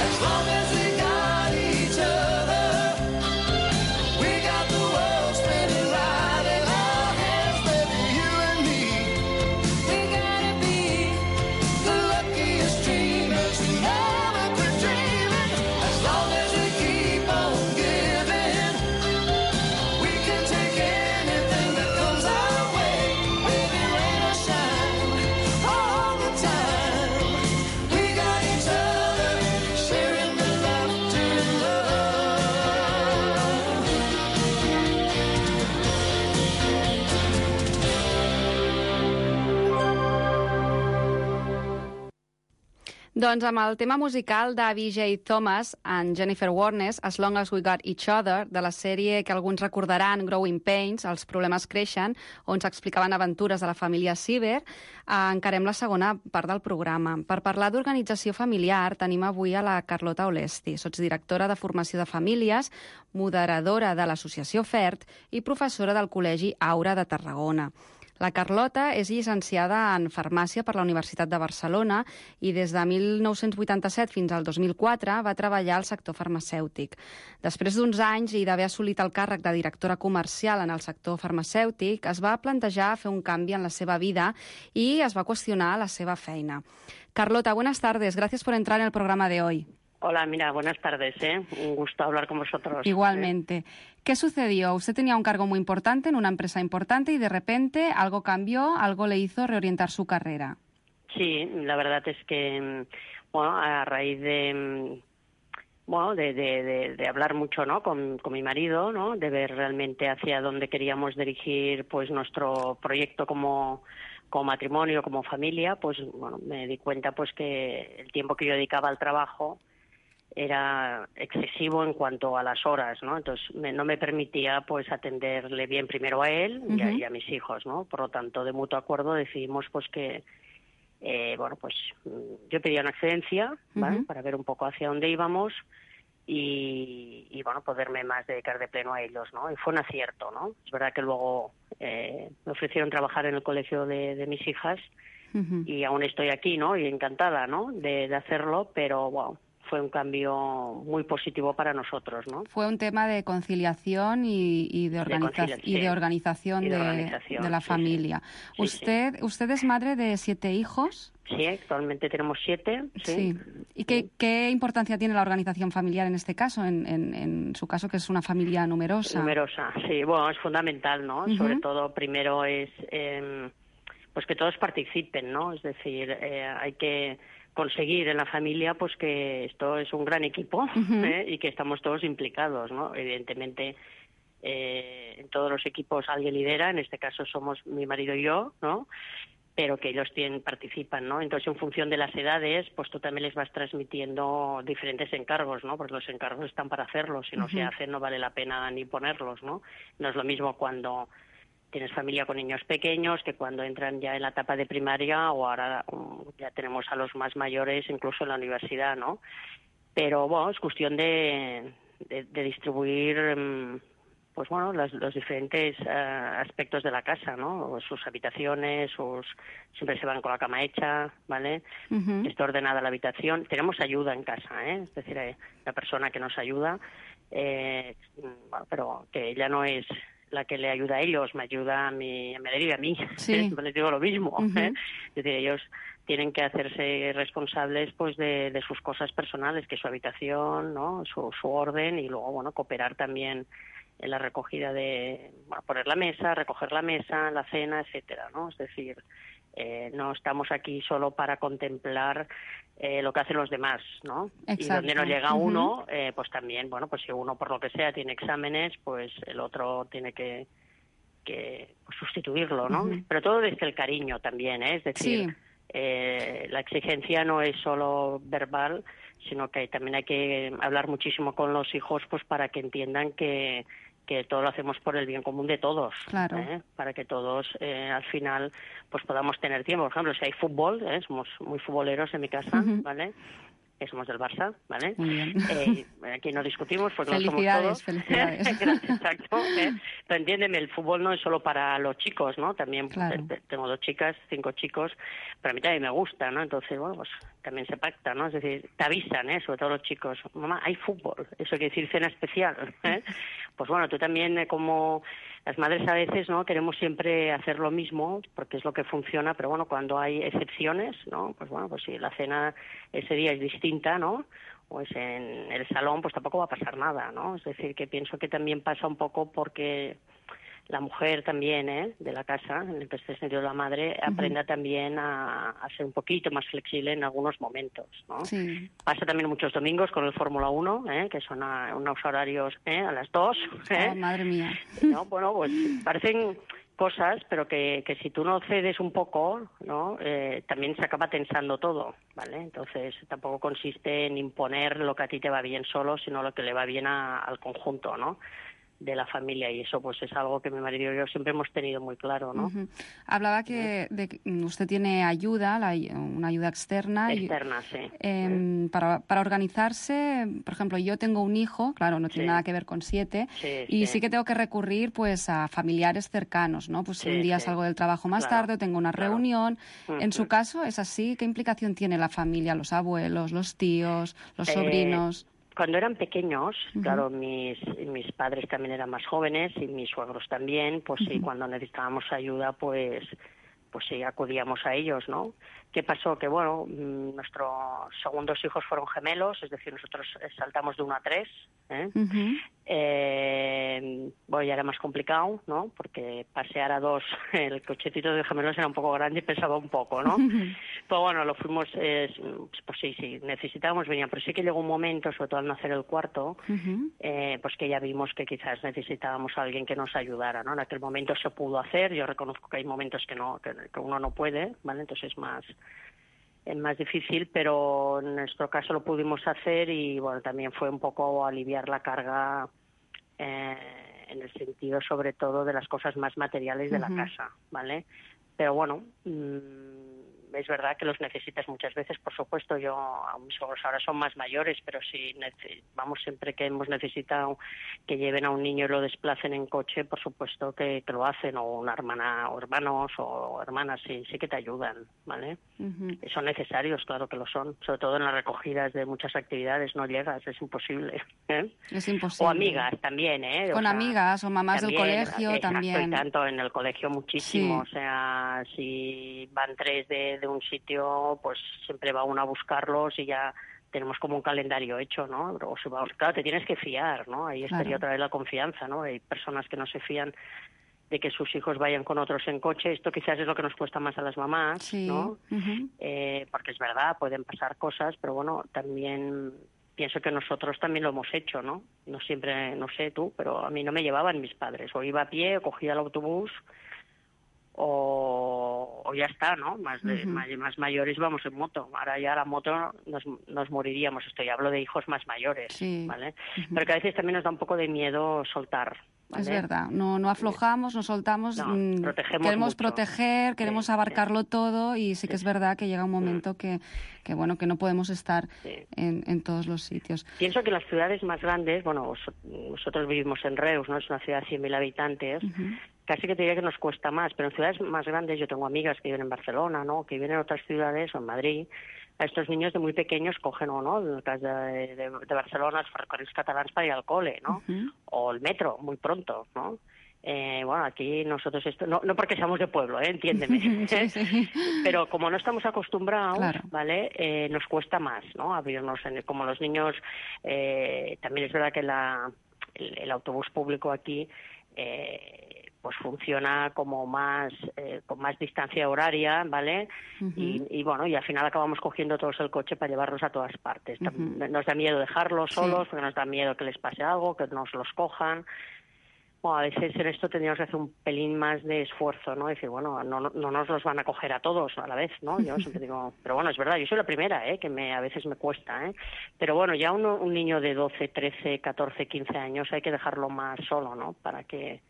as long as we got each other, we got the world spinning right in our hands, baby, you and me. We gotta be the luckiest dreamers who never quit dreaming. As long as we keep on giving, we can take anything that comes our way. Baby, rain or shine, all the time. We got each other, sharing the laughter and love. Doncs amb el tema musical de V J Thomas and Jennifer Warnes, As Long As We Got Each Other, de la sèrie que alguns recordaran, Growing Pains, Els problemes creixen, on s'explicaven aventures de la família Sieber, eh, encarem la segona part del programa. Per parlar d'organització familiar, tenim avui a la Carlota Olesti, sotsdirectora de Formació de Famílies, moderadora de l'Associació FERT i professora del Col·legi Aura de Tarragona. La Carlota és llicenciada en Farmàcia per la Universitat de Barcelona i des de mil nou-cents vuitanta-set fins al dos mil quatre va treballar al sector farmacèutic. Després d'uns anys i d'haver assolit el càrrec de directora comercial en el sector farmacèutic, es va plantejar fer un canvi en la seva vida i es va qüestionar la seva feina. Carlota, buenas tardes. Gracias por entrar en el programa de hoy. Hola, mira, buenas tardes, ¿eh? Un gusto hablar con vosotros. Igualmente. ¿Eh? ¿Qué sucedió? Usted tenía un cargo muy importante en una empresa importante y de repente algo cambió, algo le hizo reorientar su carrera. Sí, la verdad es que, bueno, a raíz de, bueno, de, de, de, de hablar mucho, ¿no?, con, con mi marido, ¿no?, de ver realmente hacia dónde queríamos dirigir, pues, nuestro proyecto como como matrimonio, como familia, pues, bueno, me di cuenta, pues, que el tiempo que yo dedicaba al trabajo era excesivo en cuanto a las horas, ¿no? Entonces me, no me permitía pues atenderle bien primero a él y, uh-huh. a, y a mis hijos, ¿no? Por lo tanto, de mutuo acuerdo decidimos pues que, eh, bueno, pues yo pedía una excedencia, ¿vale? Uh-huh. Para ver un poco hacia dónde íbamos y, y, bueno, poderme más dedicar de pleno a ellos, ¿no? Y fue un acierto, ¿no? Es verdad que luego eh, me ofrecieron trabajar en el colegio de, de mis hijas uh-huh. y aún estoy aquí, ¿no? Y encantada, ¿no? De, de hacerlo, pero, wow, fue un cambio muy positivo para nosotros, ¿no? Fue un tema de conciliación y, y, de, organiza de, y de organización, y de, de, organización de la sí, familia. Sí. ¿Usted, sí. ¿Usted es madre de siete hijos? Sí, actualmente tenemos siete. Sí. sí. ¿Y qué, qué importancia tiene la organización familiar en este caso, en, en, en su caso, que es una familia numerosa? Numerosa, sí. Bueno, es fundamental, ¿no? Uh-huh. Sobre todo, primero es eh, pues que todos participen, ¿no? Es decir, eh, hay que conseguir en la familia pues que esto es un gran equipo uh-huh. ¿eh? y que estamos todos implicados, ¿no? Evidentemente eh, en todos los equipos alguien lidera, en este caso somos mi marido y yo, ¿no? pero que ellos tienen, participan, ¿no? Entonces, en función de las edades, pues tú también les vas transmitiendo diferentes encargos, ¿no? Porque los encargos están para hacerlos, si no uh-huh. se hacen no vale la pena ni ponerlos, ¿no? No es lo mismo cuando tienes familia con niños pequeños que cuando entran ya en la etapa de primaria, o ahora um, ya tenemos a los más mayores incluso en la universidad, ¿no? Pero, bueno, es cuestión de, de, de distribuir... Um, pues bueno, los, los diferentes uh, aspectos de la casa, ¿no? Sus habitaciones, sus siempre se van con la cama hecha, ¿vale? Uh-huh. Está ordenada la habitación. Tenemos ayuda en casa, ¿eh? Es decir, eh, la persona que nos ayuda, eh, bueno, pero que ella no es la que le ayuda a ellos, me ayuda a mí, me deriva a mí. Sí. Les digo lo mismo, uh-huh. ¿eh? Es decir, ellos tienen que hacerse responsables pues de, de sus cosas personales, que es su habitación, ¿no? Su, su orden, y luego, bueno, cooperar también en la recogida de, bueno, poner la mesa, recoger la mesa, la cena, etcétera, ¿no? Es decir, eh, no estamos aquí solo para contemplar eh, lo que hacen los demás, ¿no? Exacto. Y donde no llega uh-huh. uno, eh, pues también, bueno, pues si uno por lo que sea tiene exámenes, pues el otro tiene que, que pues, sustituirlo, ¿no? Uh-huh. Pero todo desde el cariño también, ¿eh? Es decir, sí. eh, la exigencia no es solo verbal, sino que también hay que hablar muchísimo con los hijos, pues para que entiendan que que todo lo hacemos por el bien común de todos, claro. ¿eh? Para que todos eh, al final pues podamos tener tiempo. Por ejemplo, si hay fútbol, ¿eh? Somos muy futboleros en mi casa, uh-huh. ¿vale? Que somos del Barça, ¿vale? Muy bien. Eh, aquí no discutimos porque no somos todos. Felicidades, felicidades. Exacto. ¿eh? Pero entiéndeme, el fútbol no es solo para los chicos, ¿no? También claro. pues, tengo dos chicas, cinco chicos, pero a mí también me gusta, ¿no? Entonces, bueno, pues también se pacta, ¿no? Es decir, te avisan, ¿eh? Sobre todo los chicos, mamá, hay fútbol, eso quiere decir cena especial, ¿eh? Pues bueno, tú también, eh, como las madres a veces, ¿no? Queremos siempre hacer lo mismo porque es lo que funciona, pero bueno, cuando hay excepciones, ¿no? Pues bueno, pues si la cena ese día es distinta, ¿no? O es en el salón, pues tampoco va a pasar nada, ¿no? Es decir, que pienso que también pasa un poco porque la mujer también, ¿eh? De la casa, en este sentido la madre, uh-huh. aprenda también a, a ser un poquito más flexible en algunos momentos, ¿no? Sí. Pasa también muchos domingos con el Fórmula uno, ¿eh? Que son a, unos horarios ¿eh? A las dos. ¿eh? Oh, madre mía. ¿No? Bueno, pues parecen cosas, pero que, que si tú no cedes un poco, ¿no? Eh, también se acaba tensando todo, ¿vale? Entonces tampoco consiste en imponer lo que a ti te va bien solo, sino lo que le va bien a, al conjunto, ¿no? De la familia, y eso pues es algo que mi marido y yo siempre hemos tenido muy claro, ¿no? Uh-huh. Hablaba que, de que usted tiene ayuda, la, una ayuda externa. Externa, y, sí. Eh, uh-huh. para, para organizarse, por ejemplo, yo tengo un hijo, claro, no tiene sí. nada que ver con siete, sí, y sí. sí que tengo que recurrir pues a familiares cercanos, ¿no? Pues sí, si un día sí. salgo del trabajo más claro. tarde, tengo una claro. reunión. Uh-huh. En su caso, ¿es así? ¿Qué implicación tiene la familia, los abuelos, los tíos, los eh... sobrinos? Cuando eran pequeños, uh-huh. claro, mis mis padres también eran más jóvenes y mis suegros también, pues uh-huh. sí, cuando necesitábamos ayuda, pues pues sí, acudíamos a ellos, ¿no? ¿Qué pasó? Que, bueno, nuestros segundos hijos fueron gemelos, es decir, nosotros saltamos de uno a tres, ¿eh? Uh-huh. Eh, bueno, ya era más complicado, ¿no? Porque pasear a dos, el cochecito de gemelos era un poco grande y pesaba un poco, ¿no? Uh-huh. Pero bueno, lo fuimos, eh, pues sí, sí, necesitábamos venir, pero sí que llegó un momento, sobre todo al nacer el cuarto, uh-huh. eh, pues que ya vimos que quizás necesitábamos a alguien que nos ayudara, ¿no? En aquel momento se pudo hacer, yo reconozco que hay momentos que no, que, que uno no puede, ¿vale? Entonces es más... es más difícil, pero en nuestro caso lo pudimos hacer y bueno, también fue un poco aliviar la carga eh, en el sentido sobre todo de las cosas más materiales de uh-huh. la casa, ¿vale? Pero bueno, mmm, es verdad que los necesitas muchas veces, por supuesto. Yo, a mis hijos ahora son más mayores, pero sí, vamos, siempre que hemos necesitado que lleven a un niño y lo desplacen en coche, por supuesto que, que lo hacen, o una hermana, o hermanos, o hermanas, sí, sí que te ayudan, ¿vale? Uh-huh. Son necesarios, claro que lo son, sobre todo en las recogidas de muchas actividades, no llegas, es imposible, ¿eh? Es imposible. O amigas también, ¿eh? O Con sea, amigas, o mamás también, del colegio, exacto, también. Y tanto, en el colegio muchísimo, Sí. o sea, si van tres de de un sitio, pues siempre va uno a buscarlos y ya tenemos como un calendario hecho, ¿no? O si va, claro, te tienes que fiar, ¿no? Ahí estaría claro. otra vez la confianza, ¿no? Hay personas que no se fían de que sus hijos vayan con otros en coche. Esto quizás es lo que nos cuesta más a las mamás, sí. ¿no? Uh-huh. Eh, porque es verdad, pueden pasar cosas, pero bueno, también pienso que nosotros también lo hemos hecho, ¿no? No siempre, no sé tú, pero a mí no me llevaban mis padres. O iba a pie, o cogía el autobús, o, o ya está, ¿no? Más, de, Ujú. más, más mayores vamos en moto. Ahora ya la moto nos, nos moriríamos. Esto ya hablo de hijos más mayores, Sí. ¿vale? Pero que a veces también nos da un poco de miedo soltar, ¿vale? Es verdad, no, no aflojamos, no soltamos, No, mm, protegemos queremos mucho. proteger, queremos Sí, abarcarlo todo y sí que es verdad que llega un momento que, que bueno, que no podemos estar Sí. en, en todos los sitios. Pienso que las ciudades más grandes, bueno, vos- nosotros vivimos en Reus, ¿no? Es una ciudad de cien mil habitantes, Ujú. casi que te diría que nos cuesta más, pero en ciudades más grandes, yo tengo amigas que viven en Barcelona, ¿no? Que viven en otras ciudades o en Madrid. A estos niños de muy pequeños cogen, o no, en el cas de, de, de Barcelona, els ferrocarrils catalans para ir al cole, ¿no? Ujú. O el metro, muy pronto, ¿no? Eh, bueno, aquí nosotros esto, no, no porque seamos de pueblo, ¿eh? Entiéndeme, Sí, sí. pero como no estamos acostumbrados, Claro. ¿vale? Eh, nos cuesta más, ¿no? Abrirnos, en, como los niños, eh, también es verdad que la, el, el autobús público aquí, eh, pues funciona como más, eh, con más distancia horaria, ¿vale? Ujú. y, y bueno, y al final acabamos cogiendo todos el coche para llevarlos a todas partes. Tam- Ujú. Nos da miedo dejarlos Sí. solos, porque nos da miedo que les pase algo, que nos los cojan. Bueno, a veces en esto tendríamos que hacer un pelín más de esfuerzo, ¿no? Decir, bueno, no, no no nos los van a coger a todos a la vez, ¿no? Yo siempre digo, pero bueno, es verdad, yo soy la primera, ¿eh? Que me, a veces me cuesta, ¿eh? Pero bueno, ya uno, un niño de doce, trece, catorce, quince años hay que dejarlo más solo, ¿no? Para que,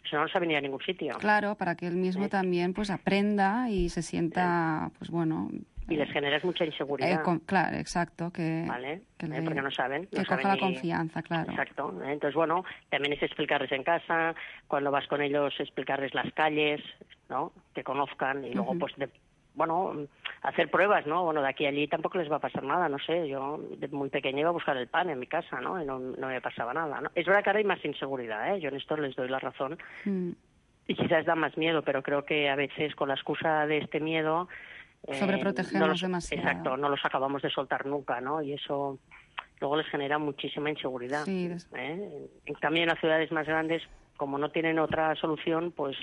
si no, no sabe ni a ningún sitio. Claro, para que él mismo Sí. también pues aprenda y se sienta, pues bueno... Y les generas mucha eh, inseguridad, con- claro, exacto, que, ¿vale? que, Eh, le- porque no saben. que no coja saben la ni- confianza, claro. Exacto. ¿eh? Entonces, bueno, también es explicarles en casa, cuando vas con ellos, explicarles las calles, ¿no? Que conozcan y luego, Ujú. pues, de, bueno, hacer pruebas, ¿no? Bueno, de aquí a allí tampoco les va a pasar nada, no sé. Yo de muy pequeña iba a buscar el pan en mi casa, ¿no? Y no, no me pasaba nada, ¿no? Es verdad que ahora hay más inseguridad, ¿eh? Yo en esto les doy la razón. Mm. Y quizás da más miedo, pero creo que a veces con la excusa de este miedo... eh, Sobreprotegemos no los- demasiado. Exacto, no los acabamos de soltar nunca, ¿no? Y eso luego les genera muchísima inseguridad. Sí, des- ¿eh? En cambio, en las ciudades más grandes, como no tienen otra solución, pues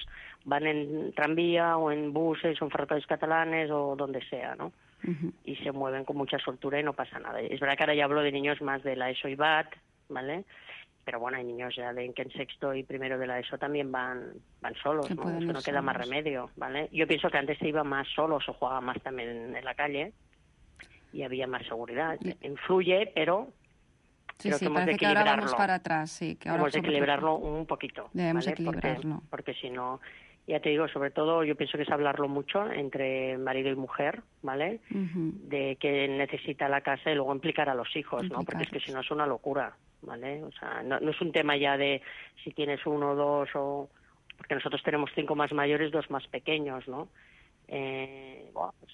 van en tranvía o en buses o en ferrocarriles catalanes o donde sea, ¿no? Ujú. Y se mueven con mucha soltura y no pasa nada. Es verdad que ahora ya hablo de niños más de la ESO y B A T, ¿vale? Pero bueno, hay niños ya de que en sexto y primero de la ESO también van van solos, Que ¿no? pueden Eso ir no queda más solos. remedio, ¿vale? Yo pienso que antes se iba más solos o jugaba más también en la calle y había más seguridad. Y- Influye, pero Sí, creo sí, que hemos de parece que ahora vamos equilibrarlo. para atrás, sí. Que ahora Hemos de sobre todo- equilibrarlo un poquito. Debemos ¿vale? Porque- equilibrarlo. Porque, si no, ya te digo, sobre todo yo pienso que es hablarlo mucho entre marido y mujer, ¿vale? Ujú. De que necesita la casa y luego implicar a los hijos, ¿no? Porque es que Implicarlos. si no es una locura, ¿vale? O sea, no, no es un tema ya de si tienes uno o dos o... Porque nosotros tenemos cinco más mayores, dos más pequeños, ¿no? Eh, bueno, pues,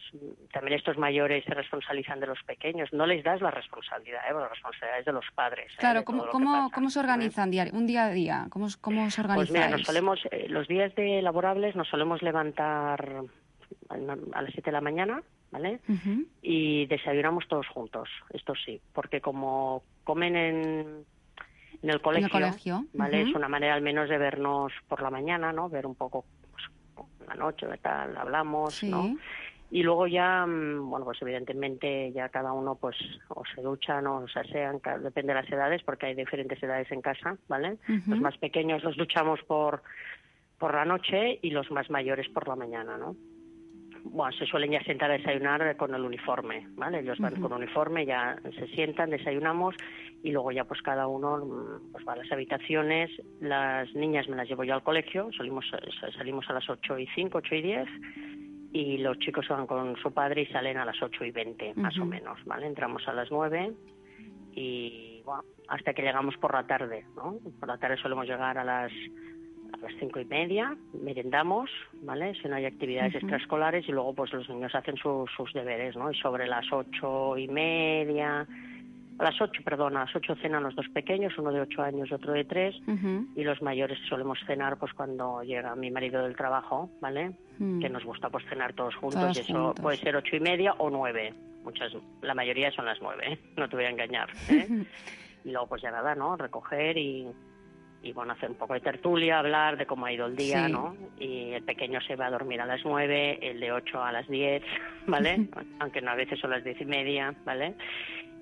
también estos mayores se responsabilizan de los pequeños. No les das la responsabilidad, ¿eh? La responsabilidad es de los padres. ¿eh? Claro, de ¿cómo, todo lo que cómo, pasa, ¿cómo se ¿eh? organizan diario, un día a día? ¿Cómo, os- cómo os Pues organizáis? mira, nos solemos, eh, los días de laborables nos solemos levantar a a las siete de la mañana, ¿vale? Ujú. Y desayunamos todos juntos, esto sí, porque como comen en, en el colegio, colegio, ¿vale? ujú. Es una manera al menos de vernos por la mañana, ¿no? Ver un poco pues, la noche, ¿qué tal? Hablamos, Sí. ¿no? Y luego ya, mm, bueno, pues evidentemente ya cada uno pues o se duchan o se asean, ca- depende de las edades, porque hay diferentes edades en casa, ¿vale? Ujú. Los más pequeños los duchamos por, por la noche y los más mayores por la mañana, ¿no? Bueno, se suelen ya sentar a desayunar con el uniforme, ¿vale? Ellos van Ujú. con uniforme, ya se sientan, desayunamos y luego ya pues cada uno mm, pues va a las habitaciones. Las niñas me las llevo yo al colegio, salimos, salimos a las ocho y cinco, ocho y diez y los chicos van con su padre y salen a las ocho y veinte, más o Ujú. menos, ¿vale? Entramos a las nueve y, bueno, hasta que llegamos por la tarde, ¿no? Por la tarde solemos llegar a las a las cinco y media, merendamos, ¿vale? Si no hay actividades Ujú. extraescolares y luego pues los niños hacen su- sus deberes, ¿no? Y sobre las ocho y media, a las ocho, perdón, a las ocho cenan los dos pequeños, uno de ocho años y otro de tres, Ujú. y los mayores solemos cenar pues cuando llega mi marido del trabajo, ¿vale? Mm. Que nos gusta pues cenar todos juntos Todos y eso juntos. puede ser ocho y media o nueve. Muchas, la mayoría son las nueve, ¿eh? No te voy a engañar, ¿eh? Y luego pues ya nada, ¿no? Recoger y, y bueno, hacer un poco de tertulia, hablar de cómo ha ido el día, Sí. ¿no? Y el pequeño se va a dormir a las nueve, el de ocho a las diez, ¿vale? Aunque no, a veces son las diez y media, ¿vale?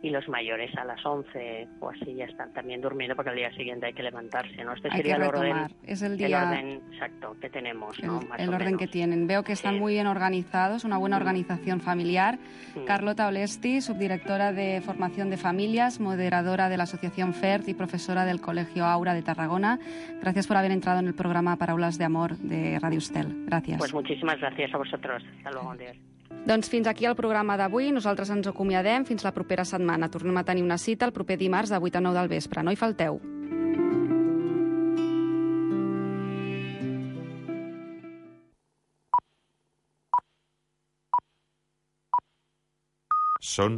y los mayores a las once o así ya están también durmiendo porque al día siguiente hay que levantarse, ¿no? Este Hay sería que el orden, retomar. Es el el día- orden exacto que tenemos, ¿no? El, Más el o orden menos. que tienen. Veo que están Sí. muy bien organizados, una buena Mm. organización familiar. Mm. Carlota Olesti, subdirectora de Formación de Familias, moderadora de la Asociación FERT y profesora del Colegio Aura de Tarragona. Gracias por haber entrado en el programa Paraules de Amor de Radio Estel. Gràcies. Pues muchísimas gracias a vosotros. Hasta luego, adiós. Doncs fins aquí el programa d'avui. Nosaltres ens acomiadem fins la propera setmana. Tornem a tenir una cita el proper dimarts de vuit a nou del vespre. No hi falteu. Són